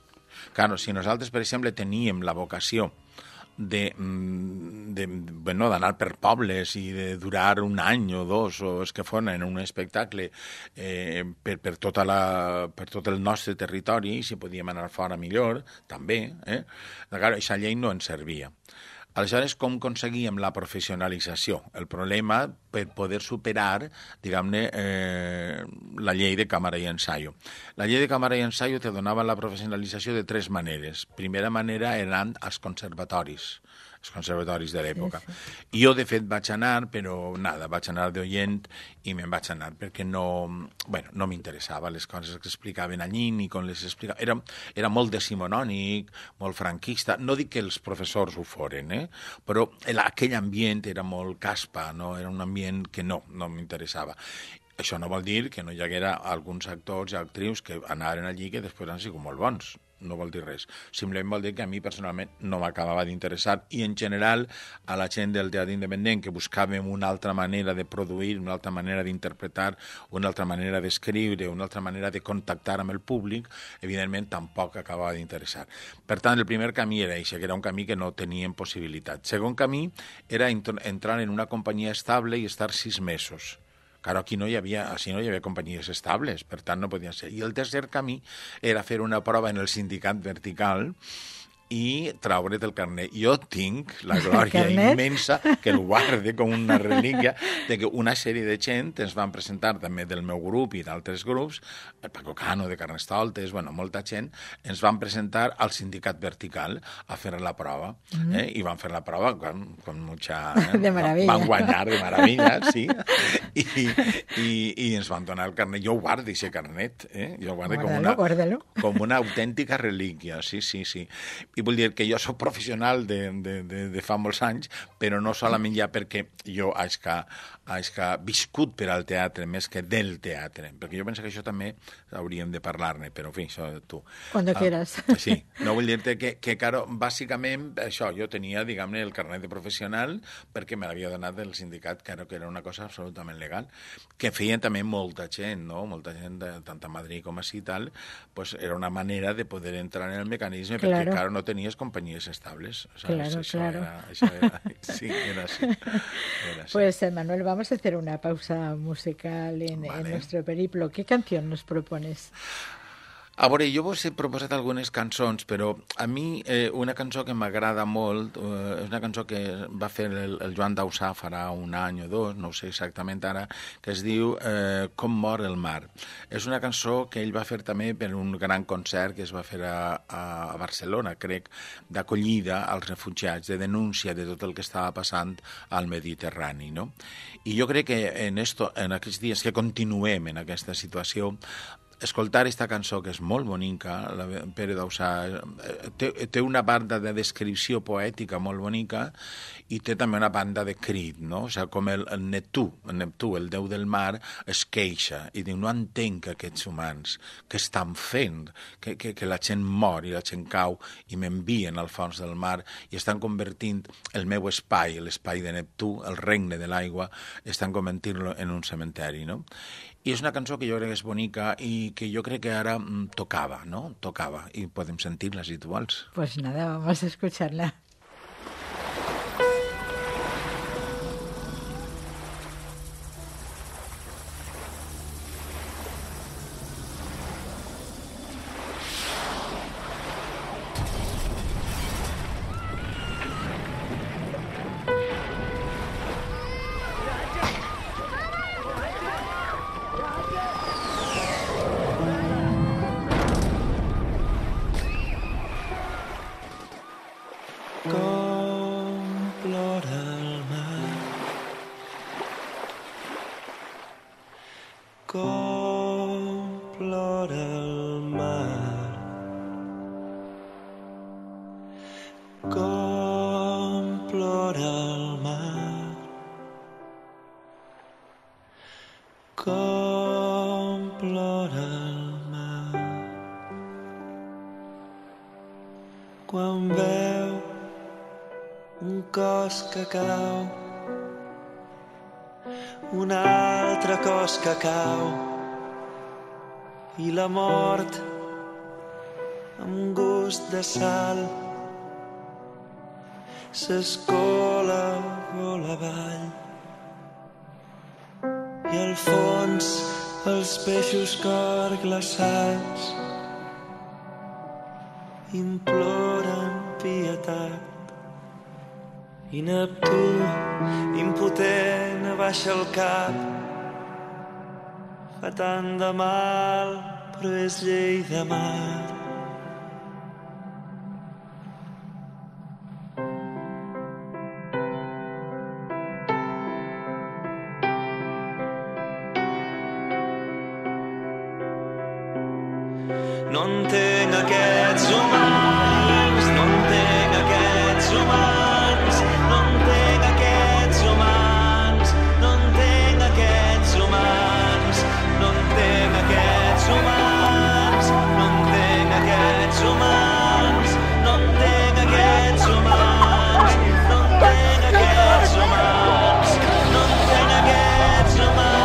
Claro, si nosaltres, per exemple, teníem la vocació de, de, bueno, d'anar per pobles i de durar un any o dos o els que foren en un espectacle eh, per, per, tota la, per tot el nostre territori, i si podíem anar fora millor, també. Eh? Clar, aquesta llei no ens servia. Aleshores, com aconseguíem la professionalització? El problema per poder superar, diguem-ne, eh, la llei de càmera i ensaio. La llei de càmera i ensaio te donava la professionalització de tres maneres. Primera manera eren els conservatoris, els conservatoris de l'època. Sí, sí. Jo, de fet, vaig anar, però nada, vaig anar d'oient i me'n vaig anar perquè no, bueno, no m'interessava les coses que explicaven allí ni com les explicaven. Era, era molt decimonònic, molt franquista. No dic que els professors ho foren, eh? Però aquell ambient era molt caspa, no? Era un ambient que no, no m'interessava. Això no vol dir que no hi haguera alguns actors i actrius que anaren allí que després han sigut molt bons. No vol dir res. Simplement vol dir que a mi personalment no m'acabava d'interessar, i en general a la gent del teatre independent que buscàvem una altra manera de produir, una altra manera d'interpretar, una altra manera d'escriure, una altra manera de contactar amb el públic, evidentment tampoc acabava d'interessar. Per tant, el primer camí era això, que era un camí que no teníem possibilitat. Segon camí era entrar en una companyia estable i estar sis mesos. Claro, aquí no hi havia, així no hi havia companyies estables, per tant no podien ser. I el tercer camí era fer una prova en el sindicat vertical i traure't el carnet. Jo tinc la glòria immensa, que el guarde com una relíquia, de que una sèrie de gent ens van presentar també del meu grup i d'altres grups, el Paco Cano de Carnestoltes, bueno, molta gent, ens van presentar al sindicat vertical a fer la prova. Mm-hmm. eh? I van fer la prova con, con mucha... Eh? De meravella. Van guanyar de meravella, sí. I, i, i ens van donar el carnet. Jo guardo aquest carnet, eh? Jo guardo com una, guárdalo. com una autèntica relíquia, sí, sí, sí. I vull dir que jo soc professional de, de, de, de fa molts anys, però no solament ja perquè jo haig que, haig que viscut per al teatre més que del teatre, perquè jo penso que això també hauríem de parlar-ne, però en fi, això tu. Cuando uh, quieras. Sí, no vull dir-te que, que claro, bàsicament, això, jo tenia, diguem-ne, el carnet de professional perquè me l'havia donat del sindicat, claro, que era una cosa absolutament legal, que feien també molta gent, no? Molta gent, de, tant a Madrid com així i tal, pues era una manera de poder entrar en el mecanisme, perquè, claro, claro no tenies companyies estables. O sea, Claro, eso claro. Era, eso era, sí, era así. Era así. Pues, eh, Manuel, vamos a hacer una pausa musical en, Vale. en nuestro periplo. ¿Qué canción nos propones? A veure, jo vos he proposat algunes cançons, però a mi eh, una cançó que m'agrada molt eh, és una cançó que va fer el, el Joan Dausà farà un any o dos, no ho sé exactament ara, que es diu eh, Com mor el mar. És una cançó que ell va fer també per un gran concert que es va fer a, a Barcelona, crec, d'acollida als refugiats, de denúncia de tot el que estava passant al Mediterrani, no? I jo crec que en, esto, en aquests dies que continuem en aquesta situació, escoltar esta cançó, que és molt bonica, la Pere Dausà, té, té una banda de descripció poètica molt bonica i té també una banda de crit, no? O sigui, com el, el Neptú, el Neptú, el déu del mar, es queixa i diu, no entenc que aquests humans que estan fent, que, que, que la gent mor i la gent cau i m'envien al fons del mar i estan convertint el meu espai, l'espai de Neptú, el regne de l'aigua, estan convertint-lo en un cementeri, no? I és una cançó que jo crec que és bonica i que jo crec que ara mm, tocava, no? Tocava, i podem sentir-la si tu vols. Pues nada, vamos a escucharla. Quan veu un cos que cau, un altre cos que cau, i la mort amb gust de sal s'escola vol avall, i al fons els peixos cor glaçats imploren pietat, i Neptú, impotent, abaixa el cap. Fa tant de mal, però és llei de mar. No entenc aquests humans, no entenc aquests humans, no entenc aquests humans, no entenc aquests humans, no entenc aquests humans, no entenc aquests humans, no entenc aquests humans, no entenc aquests humans, no entenc aquests humans.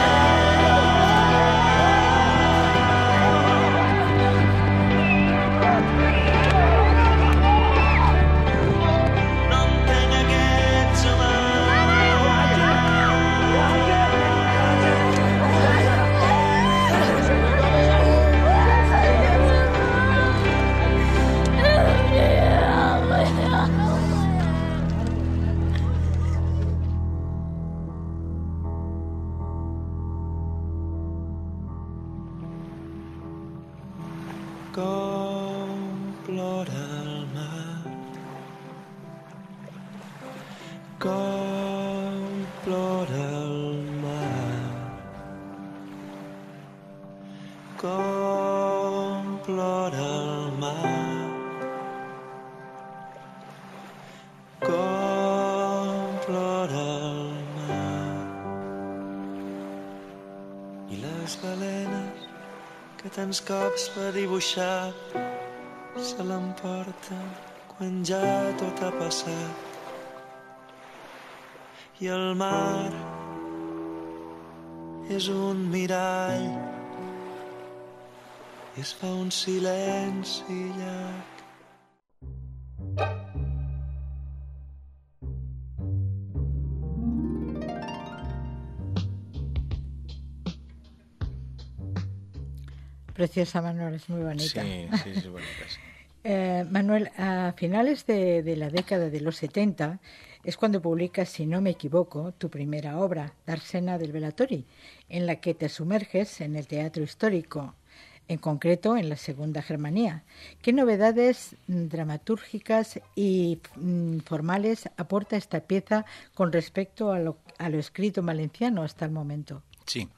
Com plora el mar, com plora el mar, com plora el mar, com plora el mar. I les balenes que tants cops va dibuixar se l'emporta quan ja tot ha passat. I el mar és un mirall i es fa un silenci llarg. Preciosa, Manuel, es muy bonita. Sí, sí, es bonita, sí. Eh, Manuel, a finales de, de la década de los setenta es cuando publicas, si no me equivoco, tu primera obra, Dársena del Velatori, en la que te sumerges en el teatro histórico, en concreto en la Segunda Germanía. ¿Qué novedades dramatúrgicas y mm, formales aporta esta pieza con respecto a lo, a lo escrito en valenciano hasta el momento? Sí.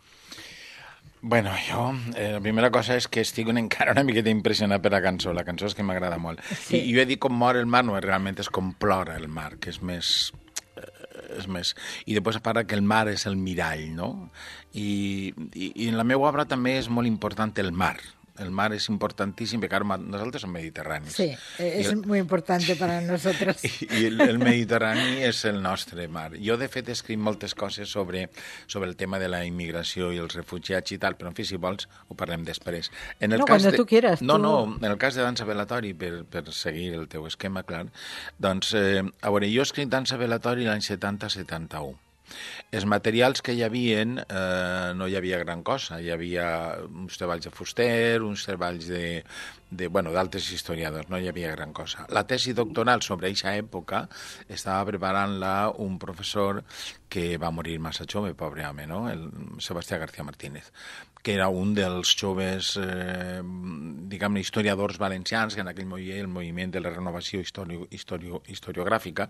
Bueno, jo, eh, la primera cosa és que estic encara una miqueta impressionat per la cançó. La cançó és que m'agrada molt. Sí. I jo he dit com mor el mar, no, realment és com plora el mar, que és més... Eh, és més... I després parla que el mar és el mirall, no? I, i, i en la meva obra també és molt important el mar. El mar es importantíssim, perquè ara nosaltres som mediterranis. Sí, és el... muy importante para nosotros. I, i el, el Mediterrani és el nostre mar. Jo, de fet, he escrit moltes coses sobre, sobre el tema de la immigració i els refugiats i tal, però, en fi, si vols, ho parlem després. En el no, cas quan de... tu quieras. No, tu... no, en el cas de Dansa Velatori, per, per seguir el teu esquema, clar, doncs, eh, a veure, jo he escrit Dansa Velatori l'any setanta setanta-u. Els materials que hi havia, eh, no hi havia gran cosa. Hi havia uns treballs de Fuster, uns treballs de, de, bueno, d'altres historiadors, no hi havia gran cosa. La tesi doctoral sobre aquesta època estava preparant-la un professor que va morir massa jove, pobre home, no? El Sebastià García Martínez, que era un dels joves, eh, diguem-ne, historiadors valencians, que en aquell moment el moviment de la renovació historio, historio, historiogràfica,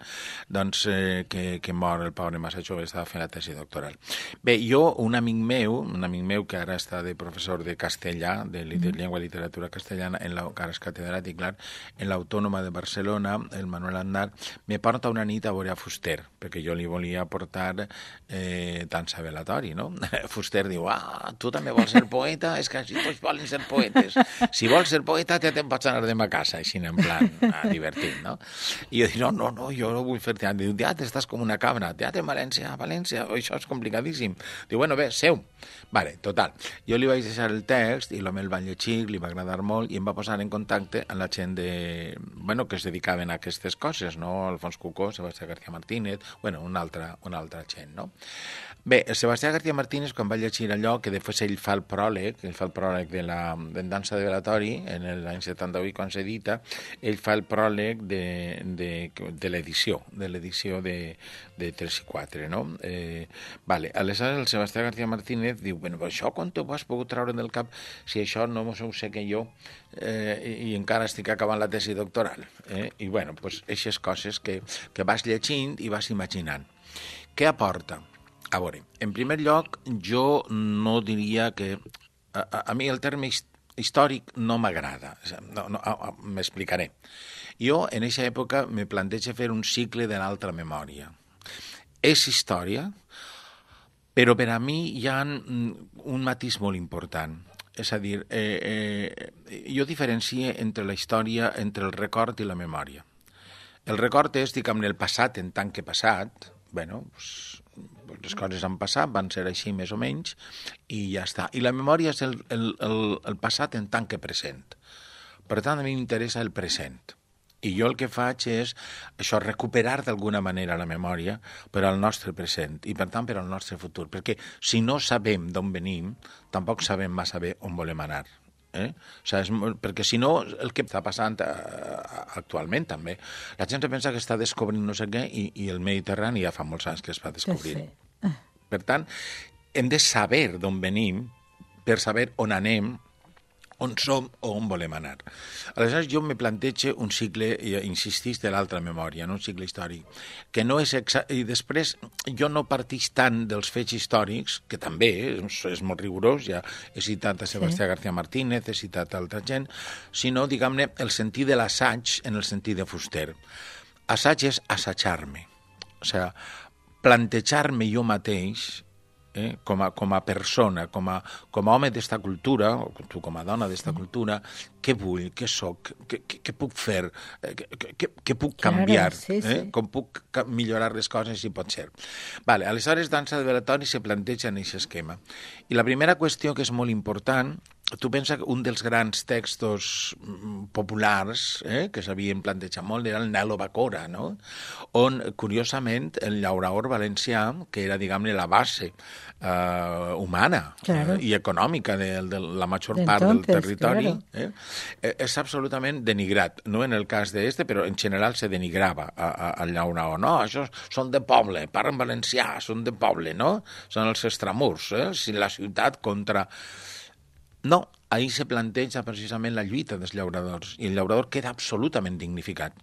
doncs, eh, que, que mor el pobre massa jove, estava fent la tesi doctoral. Bé, jo, un amic meu, un amic meu que ara està de professor de castellà, de, de llengua i literatura castellana, en la, que ara és catedràtic, clar, en l'Autònoma de Barcelona, el Manuel Aznar, me porta una nit a veure a Fuster, perquè jo li volia portar eh, Dansa Velatori, no? Fuster diu, ah, tu també vols ser poeta? És que així tots volen ser poetes. Si vols ser poeta, ja te'n pots anar demà a casa, així en plan ah, divertit, no? I jo dic, no, no, no, jo no vull fer teatre. Diu, teatre, estàs com una cabra. Teatre en València, a València, això és complicadíssim. Diu, bueno, bé, seu. Vale, total. Jo li vaig deixar el text i l'home el va llegir, li va agradar molt i em va posar en contacte amb la gent de... bueno, que es dedicaven a aquestes coses, no? Alfons Cucó, Sebastià García Martínez, bueno, una altra, una altra gent, no? Bé, el Sebastià García Martínez, quan va llegir allò, que després ell fa el pròleg, ell fa el pròleg de la de Dansa de Velatori, en l'any setanta-vuit, quan s'edita, ell fa el pròleg de, de, de l'edició, de l'edició de, de tres i quatre, no? Eh, vale, aleshores el Sebastià García Martínez diu, bueno, però això quan t'ho has pogut treure del cap si això no ho sé que jo eh, i, i encara estic acabant la tesi doctoral. Eh? I, bueno, doncs, aquestes coses que, que vas llegint i vas imaginant. Què aporta? A veure, en primer lloc, jo no diria que... A, a, a mi el terme històric no m'agrada. No, no, m'explicaré. Jo, en aquesta època, me plantejo fer un cicle de l'altra memòria. És història, però per a mi hi ha un matís molt important. És a dir, eh, eh, jo diferencio entre la història, entre el record i la memòria. El record és, diguem-ne, el passat en tant que passat, bueno, pues, les coses han passat, van ser així més o menys, i ja està. I la memòria és el, el, el, el passat en tant que present. Per tant, a mi m'interessa el present. I jo el que faig és això, recuperar d'alguna manera la memòria per al nostre present i, per tant, per al nostre futur. Perquè si no sabem d'on venim, tampoc sabem massa bé on volem anar. Eh? O sigui, és, perquè si no, el que està passant eh, actualment també, la gent pensa que està descobrint no sé què i, i el Mediterrani ja fa molts anys que es va descobrir. Sí, sí. Per tant, hem de saber d'on venim per saber on anem, on som o on volem anar. Aleshores, jo me plantejo un cicle, insistís, de l'altra memòria, no? Un cicle històric, que no és exacte. I després, jo no partix tant dels fets històrics, que també és, és molt rigorós, ja he citat a Sebastià sí. García Martínez, he citat a altra gent, sinó, diguem-ne, el sentit de l'assaig en el sentit de Fuster. Assaig és assajar-me. O sigui, plantejar-me jo mateix, Eh, com, a, com a persona, com a, com a home d'esta cultura, o tu com a dona d'esta cultura, què vull, què soc, què, què, què puc fer, què, què, què puc canviar, claro, sí, sí. Eh? Com puc millorar les coses, si pot ser. Vale, aleshores, Dansa de Velatori se planteja en aquest esquema. I la primera qüestió que és molt important tu pensa que un dels grans textos populars eh, que s'havien plantejat molt era el Nelo Bacora, no? On, curiosament, el llaurador valencià, que era, diguem-ne, la base eh, humana claro. eh, i econòmica de, de la major de part entonces, del territori, claro. eh, és absolutament denigrat. No en el cas d'este, però en general se denigrava al llaurador. No, això són de poble, parlen valencià, són de poble, no? Són els extramurs, eh? Si la ciutat contra... No, ahir se planteja precisament la lluita dels llauradors i el llaurador queda absolutament dignificat.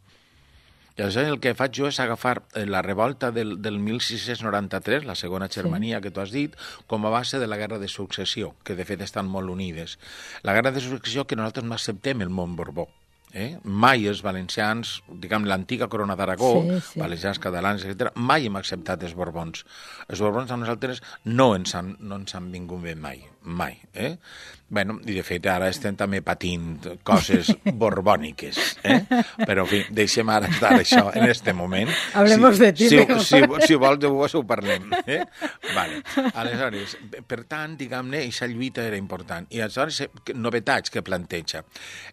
I aleshores el que faig jo és agafar la revolta del, del mil sis-cents noranta-tres, la segona Germania sí. que tu has dit, com a base de la guerra de successió, que de fet estan molt unides. La guerra de successió que nosaltres no acceptem el món Borbó. Eh? Mai els valencians, diguem, l'antiga corona d'Aragó, sí, sí. valencians, catalans, etcètera, mai hem acceptat els Borbons. Els Borbons a nosaltres no ens han, no ens han vingut bé mai, mai. Eh? Bueno, i de fet ara estem també patint coses borbòniques, eh? Però en fi, deixem ara estar això en este moment. Hablemos si, de ti. Si, si, si vols de vos ho parlem. Eh? Vale. Aleshores, per tant, diguem-ne, aquesta lluita era important. I aleshores, novetats que planteja.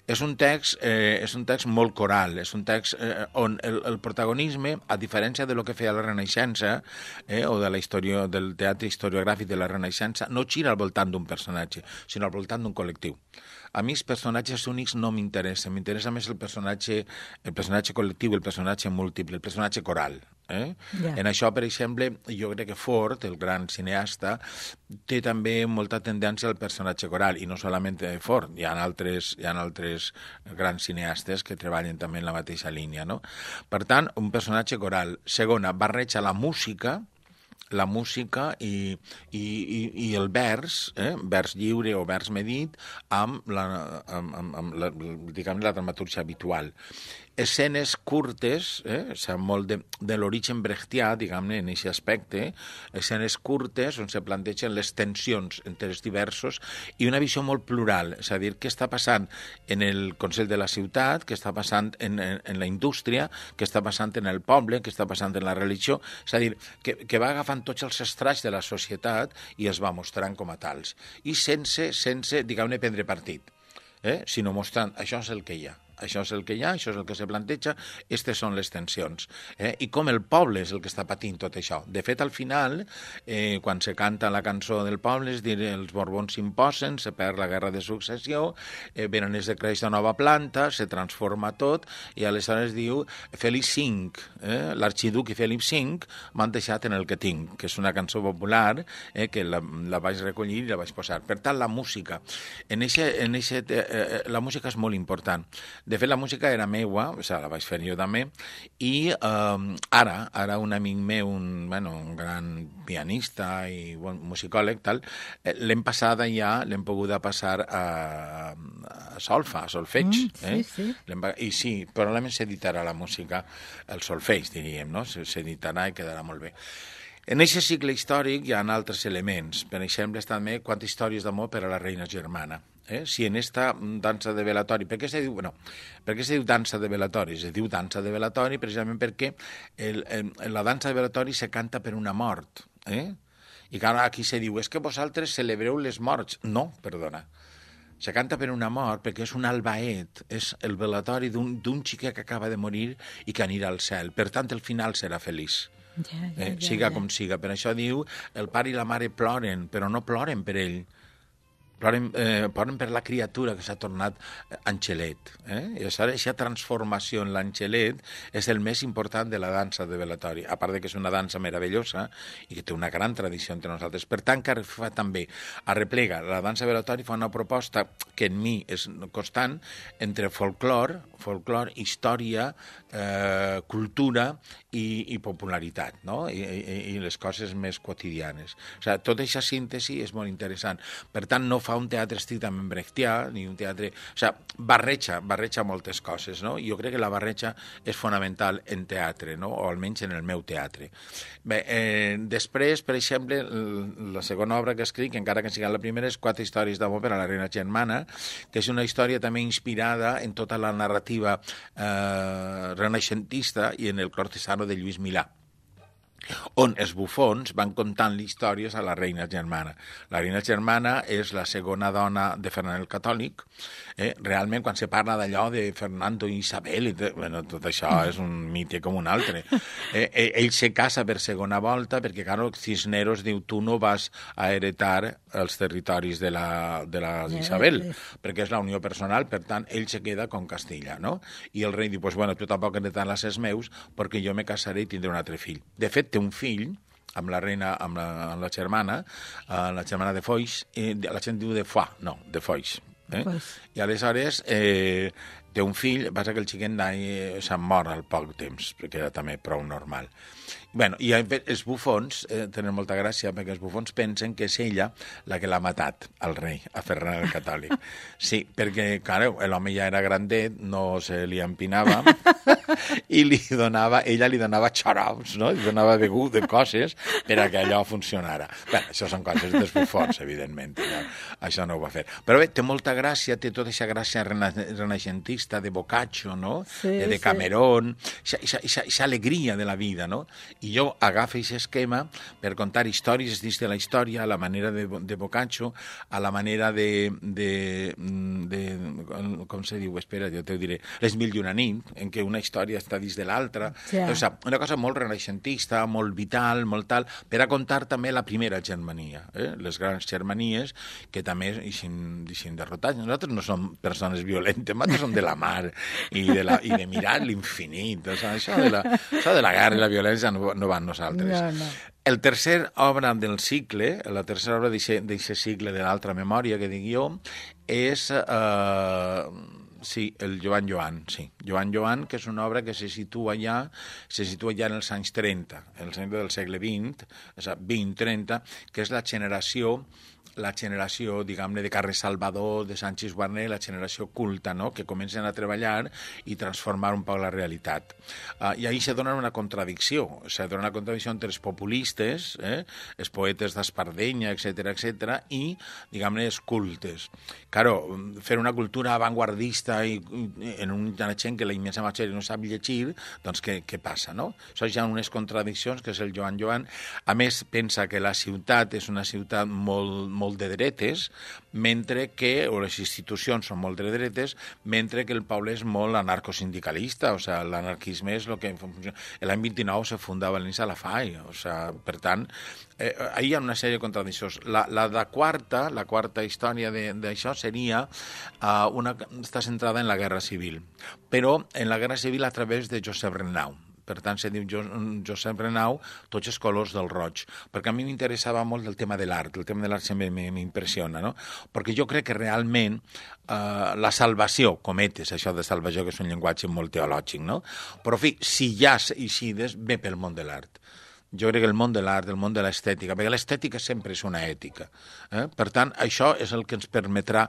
És un text, eh, és un text molt coral, és un text eh, on el, el protagonisme, a diferència de lo que feia la Renaixença, eh, o de la història, del teatre historiogràfic de la Renaixença, no gira al voltant d'un personatge, sinó al voltant d'un col·lectiu. A mi els personatges únics no m'interessen, m'interessa més el personatge, el personatge col·lectiu, el personatge múltiple, el personatge coral. Eh? Yeah. En això, per exemple, jo crec que Ford, el gran cineasta, té també molta tendència al personatge coral, i no solament Ford, hi ha altres, hi ha altres grans cineastes que treballen també en la mateixa línia. No? Per tant, un personatge coral. Segona, barreja la música, la música i, i, i, i el vers, eh? vers lliure o vers medit, amb la, amb, amb, amb la, diguem, la dramatúrgia habitual. Escenes curtes, eh? O sigui, molt de, de l'origen brechtià, diguem-ne, en aquest aspecte, escenes curtes on se plantegen les tensions entre els diversos i una visió molt plural, és a dir, què està passant en el Consell de la Ciutat, què està passant en, en, en la indústria, què està passant en el poble, què està passant en la religió, és a dir, que, que va agafant tots els estralls de la societat i els va mostrant com a tals. I sense, sense diguem-ne, prendre partit, eh? sinó mostrant, això és el que hi ha. Això és el que hi ha, això és el que se planteja, aquestes són les tensions. Eh? I com el poble és el que està patint tot això. De fet, al final, eh, quan se canta la cançó del poble, és dir, els Borbons s'imposen, se perd la guerra de successió, eh, venen els de creix de nova planta, se transforma tot, i aleshores diu Felip cinc, eh? l'arxiduc i Felip cinc m'han deixat en el que tinc, que és una cançó popular eh, que la, la vaig recollir i la vaig posar. Per tant, la música. En eixe, en eixe, eh, la música és molt important. De fet, la música era meua, o sigui, la vaig fer jo també, i eh, ara, ara un amic meu, un, bueno, un gran pianista i bon, musicòleg, tal, eh, l'hem passada ja, l'hem poguda passar a, a solfa, a solfeig. Mm, sí, eh? sí. I sí, probablement s'editarà la música, el solfeig, diríem, no? S'editarà i quedarà molt bé. En aquest cicle històric hi ha altres elements. Per exemple, també quantes històries d'amor per a la reina germana. Eh? Si en esta dansa de velatori, per què se diu, bueno, per què se diu dansa de velatori? Se diu dansa de velatori precisament perquè el, el, la dansa de velatori se canta per una mort. Eh? I clar, aquí se diu, és que vosaltres celebreu les morts. No, perdona. Se canta per una mort perquè és un albaet, és el velatori d'un xiquet que acaba de morir i que anirà al cel. Per tant, el final serà feliç. Ja, ja, eh? ja, Siga ja. com siga. Per això diu, el pare i la mare ploren, però no ploren per ell. Ploren, eh, ploren per la criatura que s'ha tornat angelet. Eh? I aleshores, aquesta transformació en l'angelet és el més important de la dansa de velatori, a part de que és una dansa meravellosa i que té una gran tradició entre nosaltres. Per tant, que fa també, arreplega, la dansa de velatori fa una proposta que en mi és constant entre folclor, folclor, història, eh, cultura i, i popularitat, no? I, i, i les coses més quotidianes. O sigui, tota aquesta síntesi és molt interessant. Per tant, no fa un teatre estrictament brechtià, ni un teatre... O sigui, barreja, barreja moltes coses, no? Jo crec que la barreja és fonamental en teatre, no? O almenys en el meu teatre. Bé, eh, després, per exemple, la segona obra que escric, encara que sigui la primera, és Quatre històries d'amor per a la reina germana, que és una història també inspirada en tota la narrativa eh, renaixentista i en el cortesano de Lluís Milà. on els bufons van contant històries a la reina germana. La reina germana és la segona dona de Fernand el Catòlic. Eh? Realment, quan se parla d'allò de Fernando i Isabel, i de, bueno, tot això és un mite com un altre. Eh, ell se casa per segona volta perquè, clar, Cisneros diu, tu no vas a heretar els territoris de la, de la Isabel, perquè és la unió personal, per tant, ell se queda con Castilla, no? I el rei diu, pues, bueno, tu tampoc heretaràs els meus, perquè jo me casaré i tindré un altre fill. De fet, té un fill amb la reina, amb la, amb la germana, uh, la germana de Foix, eh, la gent diu de Foix, no, de Foix. Eh? Pues... I aleshores eh, té un fill, passa que el xiquet eh, se'n mor al poc temps, perquè era també prou normal. Bueno, i els bufons eh, tenen molta gràcia perquè els bufons pensen que és ella la que l'ha matat, al rei, a Ferran el Catòlic. Sí, perquè, clar, l'home ja era grandet, no se li empinava, i li donava, ella li donava xarops, no? Li donava begut de coses per a que allò funcionara. Bé, això són coses dels bufons, evidentment. Ja. Això no ho va fer. Però bé, té molta gràcia, té tota aquesta gràcia rena renaixentista de Boccaccio, no? Sí, de Camerón, aquesta alegria de la vida, no? I jo agafo aquest esquema per contar històries dins de la història, a la manera de, de Boccaccio, a la manera de, de, de, com se diu, espera, jo te ho diré, les mil i una nit, en què una història està dins de l'altra. Ja. O sigui, una cosa molt renaixentista, molt vital, molt tal, per a contar també la primera germania, eh? Les grans germanies, que també eixin derrotats. Nosaltres no som persones violentes, nosaltres som de la mar i de, la, i de mirar l'infinit. O sigui, això, de la, això de la guerra i la violència no no van nosaltres. No, no. El tercer obra del cicle, la tercera obra d'aquest cicle de l'altra memòria que dic jo, és eh, sí, el Joan Joan, sí. Joan Joan, que és una obra que se situa ja, se situa ja en els anys trenta, en els anys del segle vint, o sigui, vint trenta, que és la generació la generació, diguem-ne, de Carles Salvador, de Sánchez Guarner, la generació culta, no?, que comencen a treballar i transformar un poc la realitat. Uh, I ahí se dona una contradicció, se dona una contradicció entre els populistes, eh, els poetes d'Espardenya, etcètera, etcètera, i, diguem-ne, els cultes. Claro, fer una cultura avantguardista i, i en una gent que la immensa majoria no sap llegir, doncs què, què passa, no? Això hi ha unes contradiccions, que és el Joan Joan. A més, pensa que la ciutat és una ciutat molt, molt de dretes, mentre que, o les institucions són molt de dretes, mentre que el poble és molt anarcosindicalista, o sigui, l'anarquisme és el que funciona. L'any vint-i-nou se funda a València la F A I, o sigui, per tant, eh, ahí hi ha una sèrie de contradiccions. La, la de quarta, la quarta història d'això seria uh, una, està centrada en la Guerra Civil, però en la Guerra Civil a través de Josep Renau. Per tant, se diu Josep Renau, tots els colors del roig, perquè a mi m'interessava molt el tema de l'art, el tema de l'art sempre m'impressiona, no? Perquè jo crec que realment eh, la salvació, cometes, això de salvació, que és un llenguatge molt teològic, no? Però, en fi, si hi ha eixides, ve pel món de l'art. Jo crec que el món de l'art, el món de l'estètica, perquè l'estètica sempre és una ètica. Eh? Per tant, això és el que ens permetrà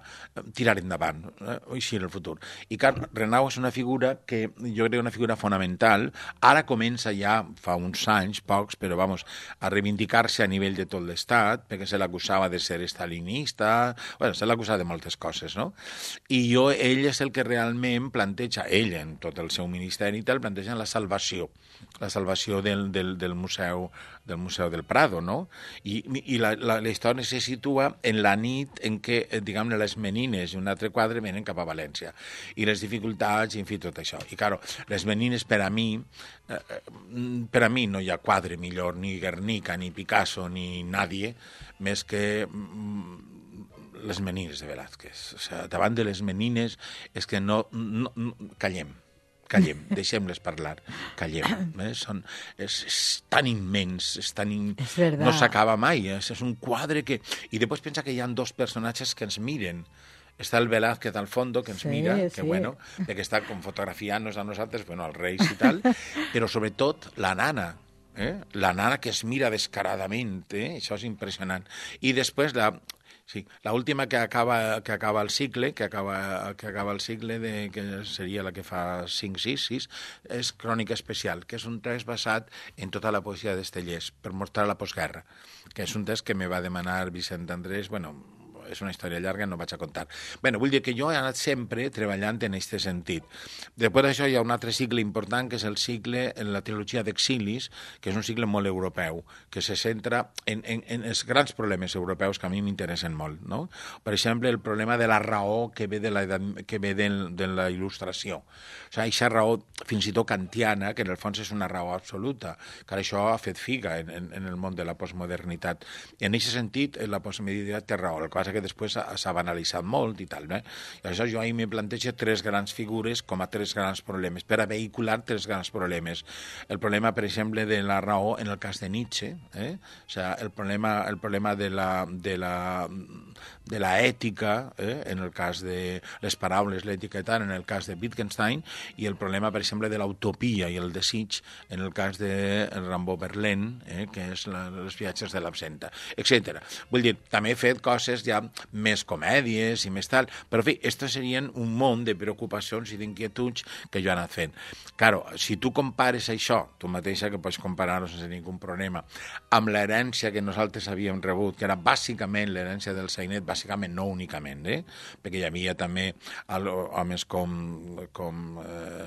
tirar endavant, eh? així en el futur. I clar, Renau és una figura que jo crec que és una figura fonamental. Ara comença ja, fa uns anys, pocs, però vamos, a reivindicar-se a nivell de tot l'Estat, perquè se l'acusava de ser estalinista, bueno, se l'acusava de moltes coses, no? I jo, ell és el que realment planteja, ell en tot el seu ministeri i tal, planteja la salvació, la salvació del, del, del museu del Museu del Prado, no? I, i la, la, la història se situa en la nit en què, diguem-ne, les menines i un altre quadre venen cap a València. I les dificultats, i en fi, tot això. I, claro, les menines, per a mi, eh, per a mi no hi ha quadre millor, ni Guernica, ni Picasso, ni nadie, més que mm, les menines de Velázquez. O sigui, davant de les menines és que no... no, no callem. Callem, deixem-les parlar, callem. Eh? Són, és, és tan immens, és tan in... és verdad. No s'acaba mai, és, és un quadre que... I després pensa que hi ha dos personatges que ens miren. Està el Velázquez al fondo, que ens sí, mira, que sí. Bueno, que està com fotografiant-nos a nosaltres, bueno, als reis i tal, però sobretot la nana, eh? La nana que es mira descaradament, eh? Això és impressionant. I després la... Sí, l'última que acaba que acaba el cicle, que acaba que acaba el cicle de que seria la que fa cinc sis sis, és Crònica especial, que és un text basat en tota la poesia d'Estellés per mostrar la postguerra, que és un text que me va demanar Vicent Andrés, bueno, és una història llarga, no vaig a contar. Bé, vull dir que jo he anat sempre treballant en aquest sentit. Després d'això hi ha un altre cicle important, que és el cicle en la trilogia d'Exilis, que és un cicle molt europeu, que se centra en, en, en els grans problemes europeus que a mi m'interessen molt, no? Per exemple, el problema de la raó que ve de la, que ve de, de la il·lustració. O sigui, aquesta raó fins i tot kantiana, que en el fons és una raó absoluta, que això ha fet figa en, en, en el món de la postmodernitat. I en aquest sentit, la postmodernitat té raó, el que passa que després s'ha banalitzat molt i tal, no? I això jo ahir me plantejo tres grans figures com a tres grans problemes, per a vehicular tres grans problemes. El problema, per exemple, de la raó en el cas de Nietzsche, eh? O sigui, el problema, el problema de la, de la, de la ètica, eh? En el cas de les paraules, l'ètica i tal, en el cas de Wittgenstein, i el problema, per exemple, de l'utopia i el desig en el cas de Rimbaud Verlaine, eh? Que és la, els viatges de l'absenta, etcètera. Vull dir, també he fet coses ja més comèdies i més tal, però, en fi, estos serien un munt de preocupacions i d'inquietuds que jo he anat fent. Claro, si tu compares això, tu mateixa que pots comparar-ho sense ningú problema, amb l'herència que nosaltres havíem rebut, que era bàsicament l'herència del Sainet, bàsicament, no únicament, eh? Perquè hi havia també homes com, com eh,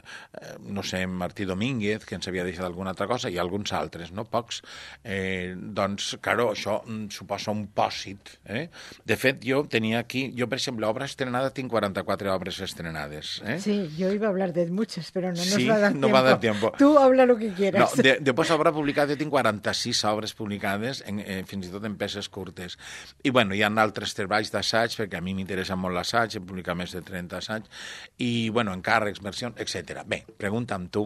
no sé, Martí Domínguez, que ens havia deixat alguna altra cosa, i alguns altres, no? Pocs. Eh, doncs, claro, això suposa un pòsit. Eh? De fet, jo tenia aquí, jo, per exemple, obra estrenada, tinc quaranta-quatre obres estrenades. Eh? Sí, yo iba a hablar de muchas, pero no sí, nos va a dar no tiempo. va a dar tiempo. Tú habla lo que quieras. No, de, després obra publicada, jo tinc quaranta-sis obres publicades, en, eh, fins i tot en peces curtes. I, bueno, hi ha altres treballs d'assaig, perquè a mi m'interessa molt l'assaig, he publicat més de trenta assaigs, i, bueno, encàrrecs, versions, etcètera. Bé, pregunta'm tu,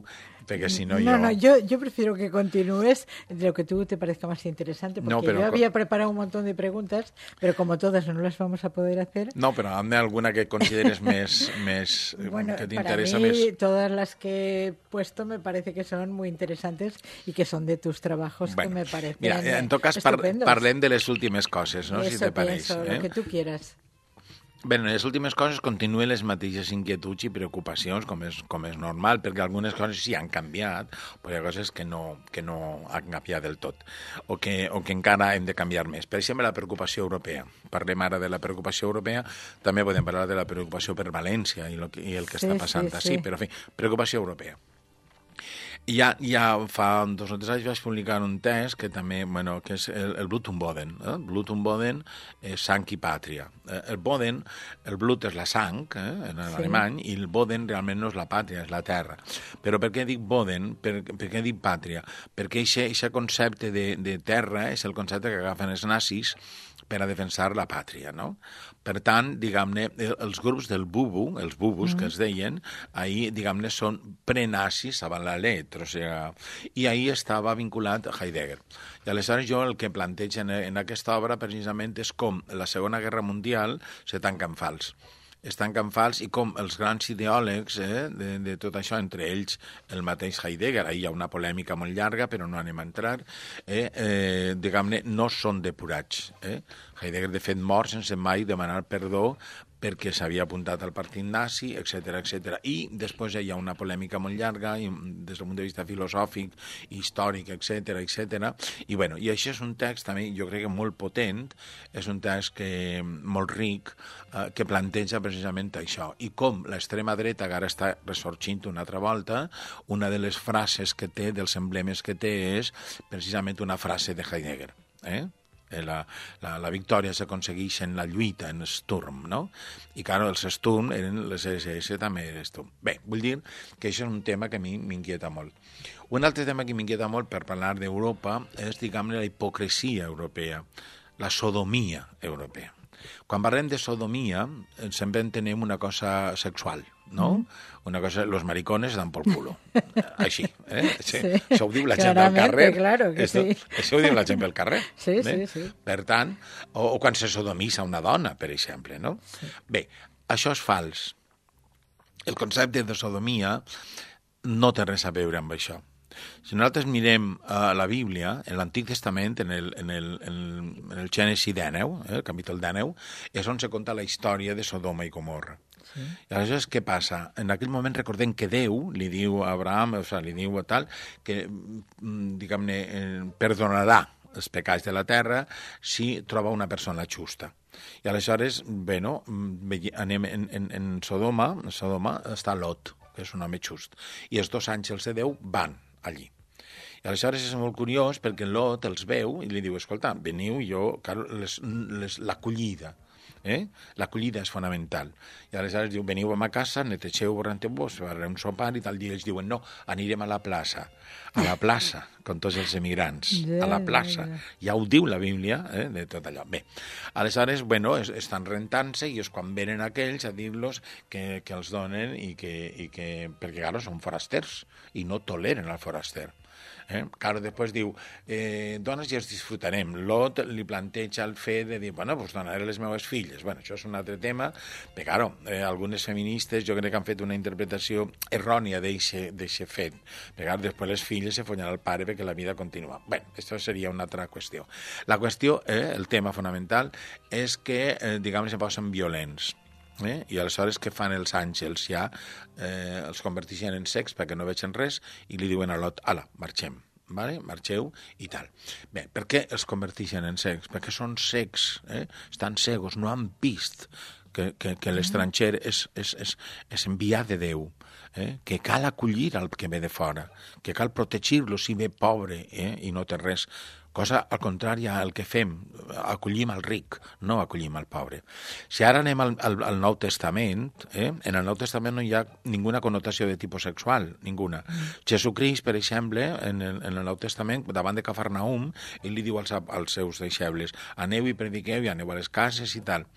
perquè si no, no yo... No, yo, yo prefiero que continúes de lo que tú te parezca más interesante, porque no, pero... yo había preparado un montón de preguntas, pero como todas no las vamos a poder hacer... No, pero hazme alguna que consideres més, més bueno, que te para interesa mí, més. Todas las que he puesto me parece que son muy interesantes y que son de tus trabajos, bueno, que me parecen mira, en tot cas par parlem de les últimes coses, no? Eso si te pareix. Pienso, eh? lo que tú quieras. Bé, en les últimes coses continuen les mateixes inquietuds i preocupacions, com és, com és normal, perquè algunes coses sí han canviat, però hi ha coses que no, que no han canviat del tot, o que, o que encara hem de canviar més. Per exemple, la preocupació europea. Parlem ara de la preocupació europea, també podem parlar de la preocupació per València i, lo que, i el que sí, està passant sí, ací, sí. Però, en fi, preocupació europea. Ja, ja fa dos o tres anys vaig publicar un text que també, bueno, que és el, el Blut und Boden. Eh? Blut und Boden és sang i pàtria. Eh, el Boden, el Blut és la sang, eh, en sí. alemany, i el Boden realment no és la pàtria, és la terra. Però per què dic Boden? Per, per què dic pàtria? Perquè aquest concepte de, de terra és el concepte que agafen els nazis per a defensar la pàtria, no? Per tant, diguem-ne, els grups del bubu, els bubus mm. que es deien, ahir, diguem-ne, són prenazis avant la letra, o sigui, i ahir estava vinculat a Heidegger. I aleshores jo el que plantejo en, en aquesta obra precisament és com la Segona Guerra Mundial se tanca en fals. Es tanca en fals i com els grans ideòlegs eh, de, de tot això, entre ells el mateix Heidegger, ahir hi ha una polèmica molt llarga, però no anem a entrar, eh, eh, diguem-ne, no són depurats. Eh? Heidegger, de fet, mor sense mai demanar perdó perquè s'havia apuntat al partit nazi, etcètera, etcètera. I després hi ha una polèmica molt llarga, i, des del punt de vista filosòfic, històric, etcètera, etcètera. I, bueno, i això és un text, també, jo crec que molt potent, és un text que, molt ric, eh, que planteja precisament això. I com l'extrema dreta, que ara està ressorgint una altra volta, una de les frases que té, dels emblemes que té, és precisament una frase de Heidegger, eh? La, la, la victòria s'aconsegueix en la lluita, en Sturm, no? I, clar, els Sturm eren les esse esse, també era Sturm. Bé, vull dir que això és un tema que a mi m'inquieta molt. Un altre tema que m'inquieta molt per parlar d'Europa és, diguem-ne, la hipocresia europea, la sodomia europea. Quan parlem de sodomia, sempre entenem una cosa sexual, no? Mm. Una cosa, los maricones dan por culo. Així, eh? Sí, sí, això ho diu la gent del carrer. Claro que Esto, sí. Això ho diu la gent del carrer. Sí, eh? sí, sí. Per tant, o, o quan se sodomissa una dona, per exemple, no? Sí. Bé, això és fals. El concepte de sodomia no té res a veure amb això. Si nosaltres mirem uh, la Bíblia, en l'Antic Testament, en el, en el, en el Gènesi dènou, eh, el capítol dènou, és on se conta la història de Sodoma i Gomorra. Sí. I aleshores, què passa? En aquell moment recordem que Déu li diu a Abraham, o sigui, li diu a tal, que, diguem-ne, eh, perdonarà els pecats de la terra si troba una persona justa. I aleshores, bé, no, anem en, en, en Sodoma, en Sodoma està Lot, que és un home just, i els dos àngels de Déu van allí. I aleshores és molt curiós perquè Lot els veu i li diu, escolta, veniu, jo, claro, les, les, l'acollida, eh? L'acollida és fonamental. I aleshores diu, veniu a ma casa, netegeu voranteu-vos, farem un sopar i tal dia ells diuen, no, anirem a la plaça, a la plaça, com tots els emigrants, a la plaça. Ja ho diu la Bíblia, eh, de tot allò. Bé, aleshores, bueno, es, estan rentant-se i és quan venen aquells a dir-los que, que els donen i que, i que, perquè, claro, són forasters i no toleren el foraster. Eh? Claro, després diu, eh, dones ja els disfrutarem. Lot li planteja el fet de dir, bueno, doncs donaré les meves filles. Bueno, això és un altre tema, però, claro, eh, algunes feministes jo crec que han fet una interpretació errònia d'aquest fet. Però, claro, després les filles se follen al pare perquè la vida continua. Bé, això seria una altra qüestió. La qüestió, eh, el tema fonamental, és que, eh, diguem, se posen violents. Eh? I aleshores què fan els àngels? Ja eh, els converteixen en secs perquè no vegen res i li diuen a Lot, ala, marxem, vale? Marxeu i tal. Bé, per què els converteixen en secs? Perquè són secs, eh? Estan cegos, no han vist que, que, que l'estranger és, és, és, és enviat de Déu, eh? Que cal acollir el que ve de fora, que cal protegir-lo si ve pobre eh? I no té res. Cosa al contrari al que fem, acollim el ric, no acollim el pobre. Si ara anem al, al, al Nou Testament, eh? En el Nou Testament no hi ha ninguna connotació de tipus sexual, ninguna. Mm. Jesucrist, per exemple, en el, en el Nou Testament, davant de Cafarnaum, ell li diu als, als seus deixebles, aneu i prediqueu i aneu a les cases i tal.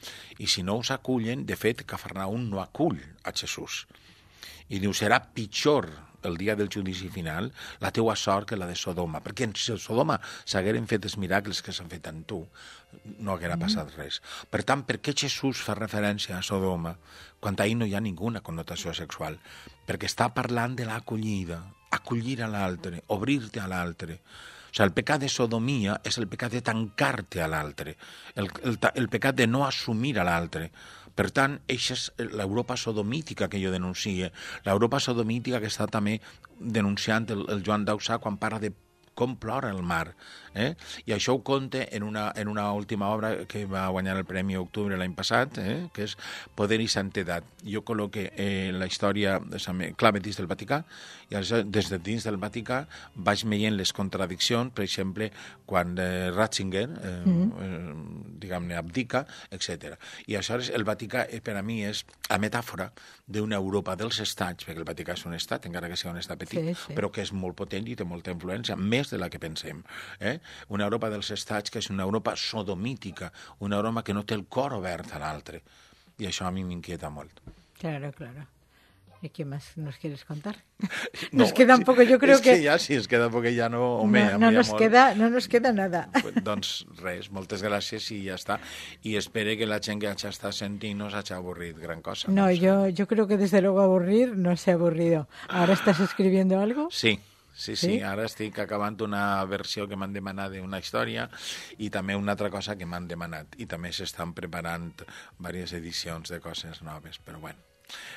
I si no us acullen, de fet, Cafarnaum no acull a Jesús. I diu, serà pitjor el dia del judici final, la teua sort que la de Sodoma. Perquè si a Sodoma s'hagueren fet els miracles que s'han fet en tu, no haguera passat res. Per tant, per què Jesús fa referència a Sodoma quan ahí no hi ha ninguna connotació sexual? Perquè està parlant de l'acollida, acollir a l'altre, obrir-te a l'altre. O sigui, el pecat de sodomia és el pecat de tancar-te a l'altre, el, el, el pecat de no assumir a l'altre. Per tant, això és l'Europa sodomítica que jo denuncie, l'Europa sodomítica que està també denunciant el, el Joan Dausà quan parla de com plora el mar. Eh? I això ho conta en una, en una última obra que va guanyar el Premi Octubre l'any passat, eh? Que és Poder i Santedat. Jo col·loque eh, la història clave dins del Vaticà i des de dins del Vaticà vaig veient les contradiccions, per exemple, quan eh, Ratzinger, eh, mm-hmm. eh, diguem-ne, abdica, etcètera. I aleshores el Vaticà eh, per a mi és la metàfora d'una Europa dels estats, perquè el Vaticà és un estat, encara que sigui un estat petit, sí, sí. Però que és molt potent i té molta influència, més de la que pensem. Eh? Una Europa dels estats que és una Europa sodomítica, una Europa que no té el cor obert a l'altre. I això a mi m'inquieta molt. Claro, claro. ¿Y qué más nos quieres contar? No, nos queda un poco, yo creo es que... que ja, si es queda poc, ja no... Home, no, no, nos queda, no nos queda nada. Pues, doncs res, moltes gràcies i ja està. I espero que la gent que ja està sentint no s'hagi avorrit gran cosa. No, no yo, yo creo que desde luego avorrir no se ha avorrido. ¿Ahora estás escribiendo algo? Sí. Sí, sí, sí, ara estic acabant una versió que m'han demanat d'una història i també una altra cosa que m'han demanat. I també s'estan preparant diverses edicions de coses noves, però bueno.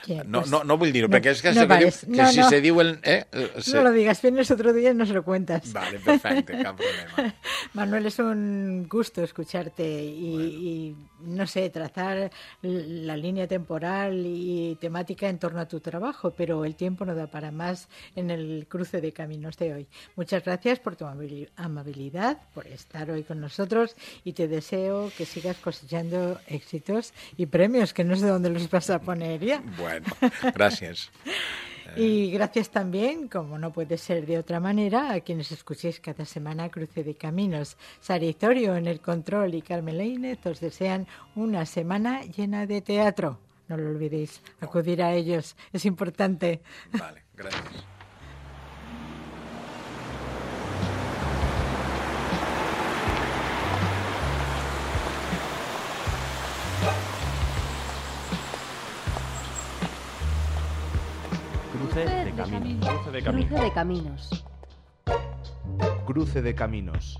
Yeah, no, pues, no, no vull dir-ho, no, perquè és que, no se, diu, que no, si no. se diu el... Eh, se... No lo digas, vienes otro día y nos lo cuentas. Vale, perfecte, cap problema. Manuel, es un gusto escucharte y, bueno. y, no sé, trazar la línea temporal y temática en torno a tu trabajo, pero el tiempo no da para más en el cruce de caminos de hoy. Muchas gracias por tu amabilidad, por estar hoy con nosotros y te deseo que sigas cosechando éxitos y premios, que no sé dónde los vas a poner ya. Bueno, gracias. Y gracias también, como no puede ser de otra manera, a quienes escuchéis cada semana Cruce de Caminos. Sara Itorio en el control y Carmen Lainez os desean una semana llena de teatro. No lo olvidéis, acudir a ellos, es importante. Vale, gracias. Cruce de caminos. Cruce de caminos. Cruce de caminos. Cruce de caminos.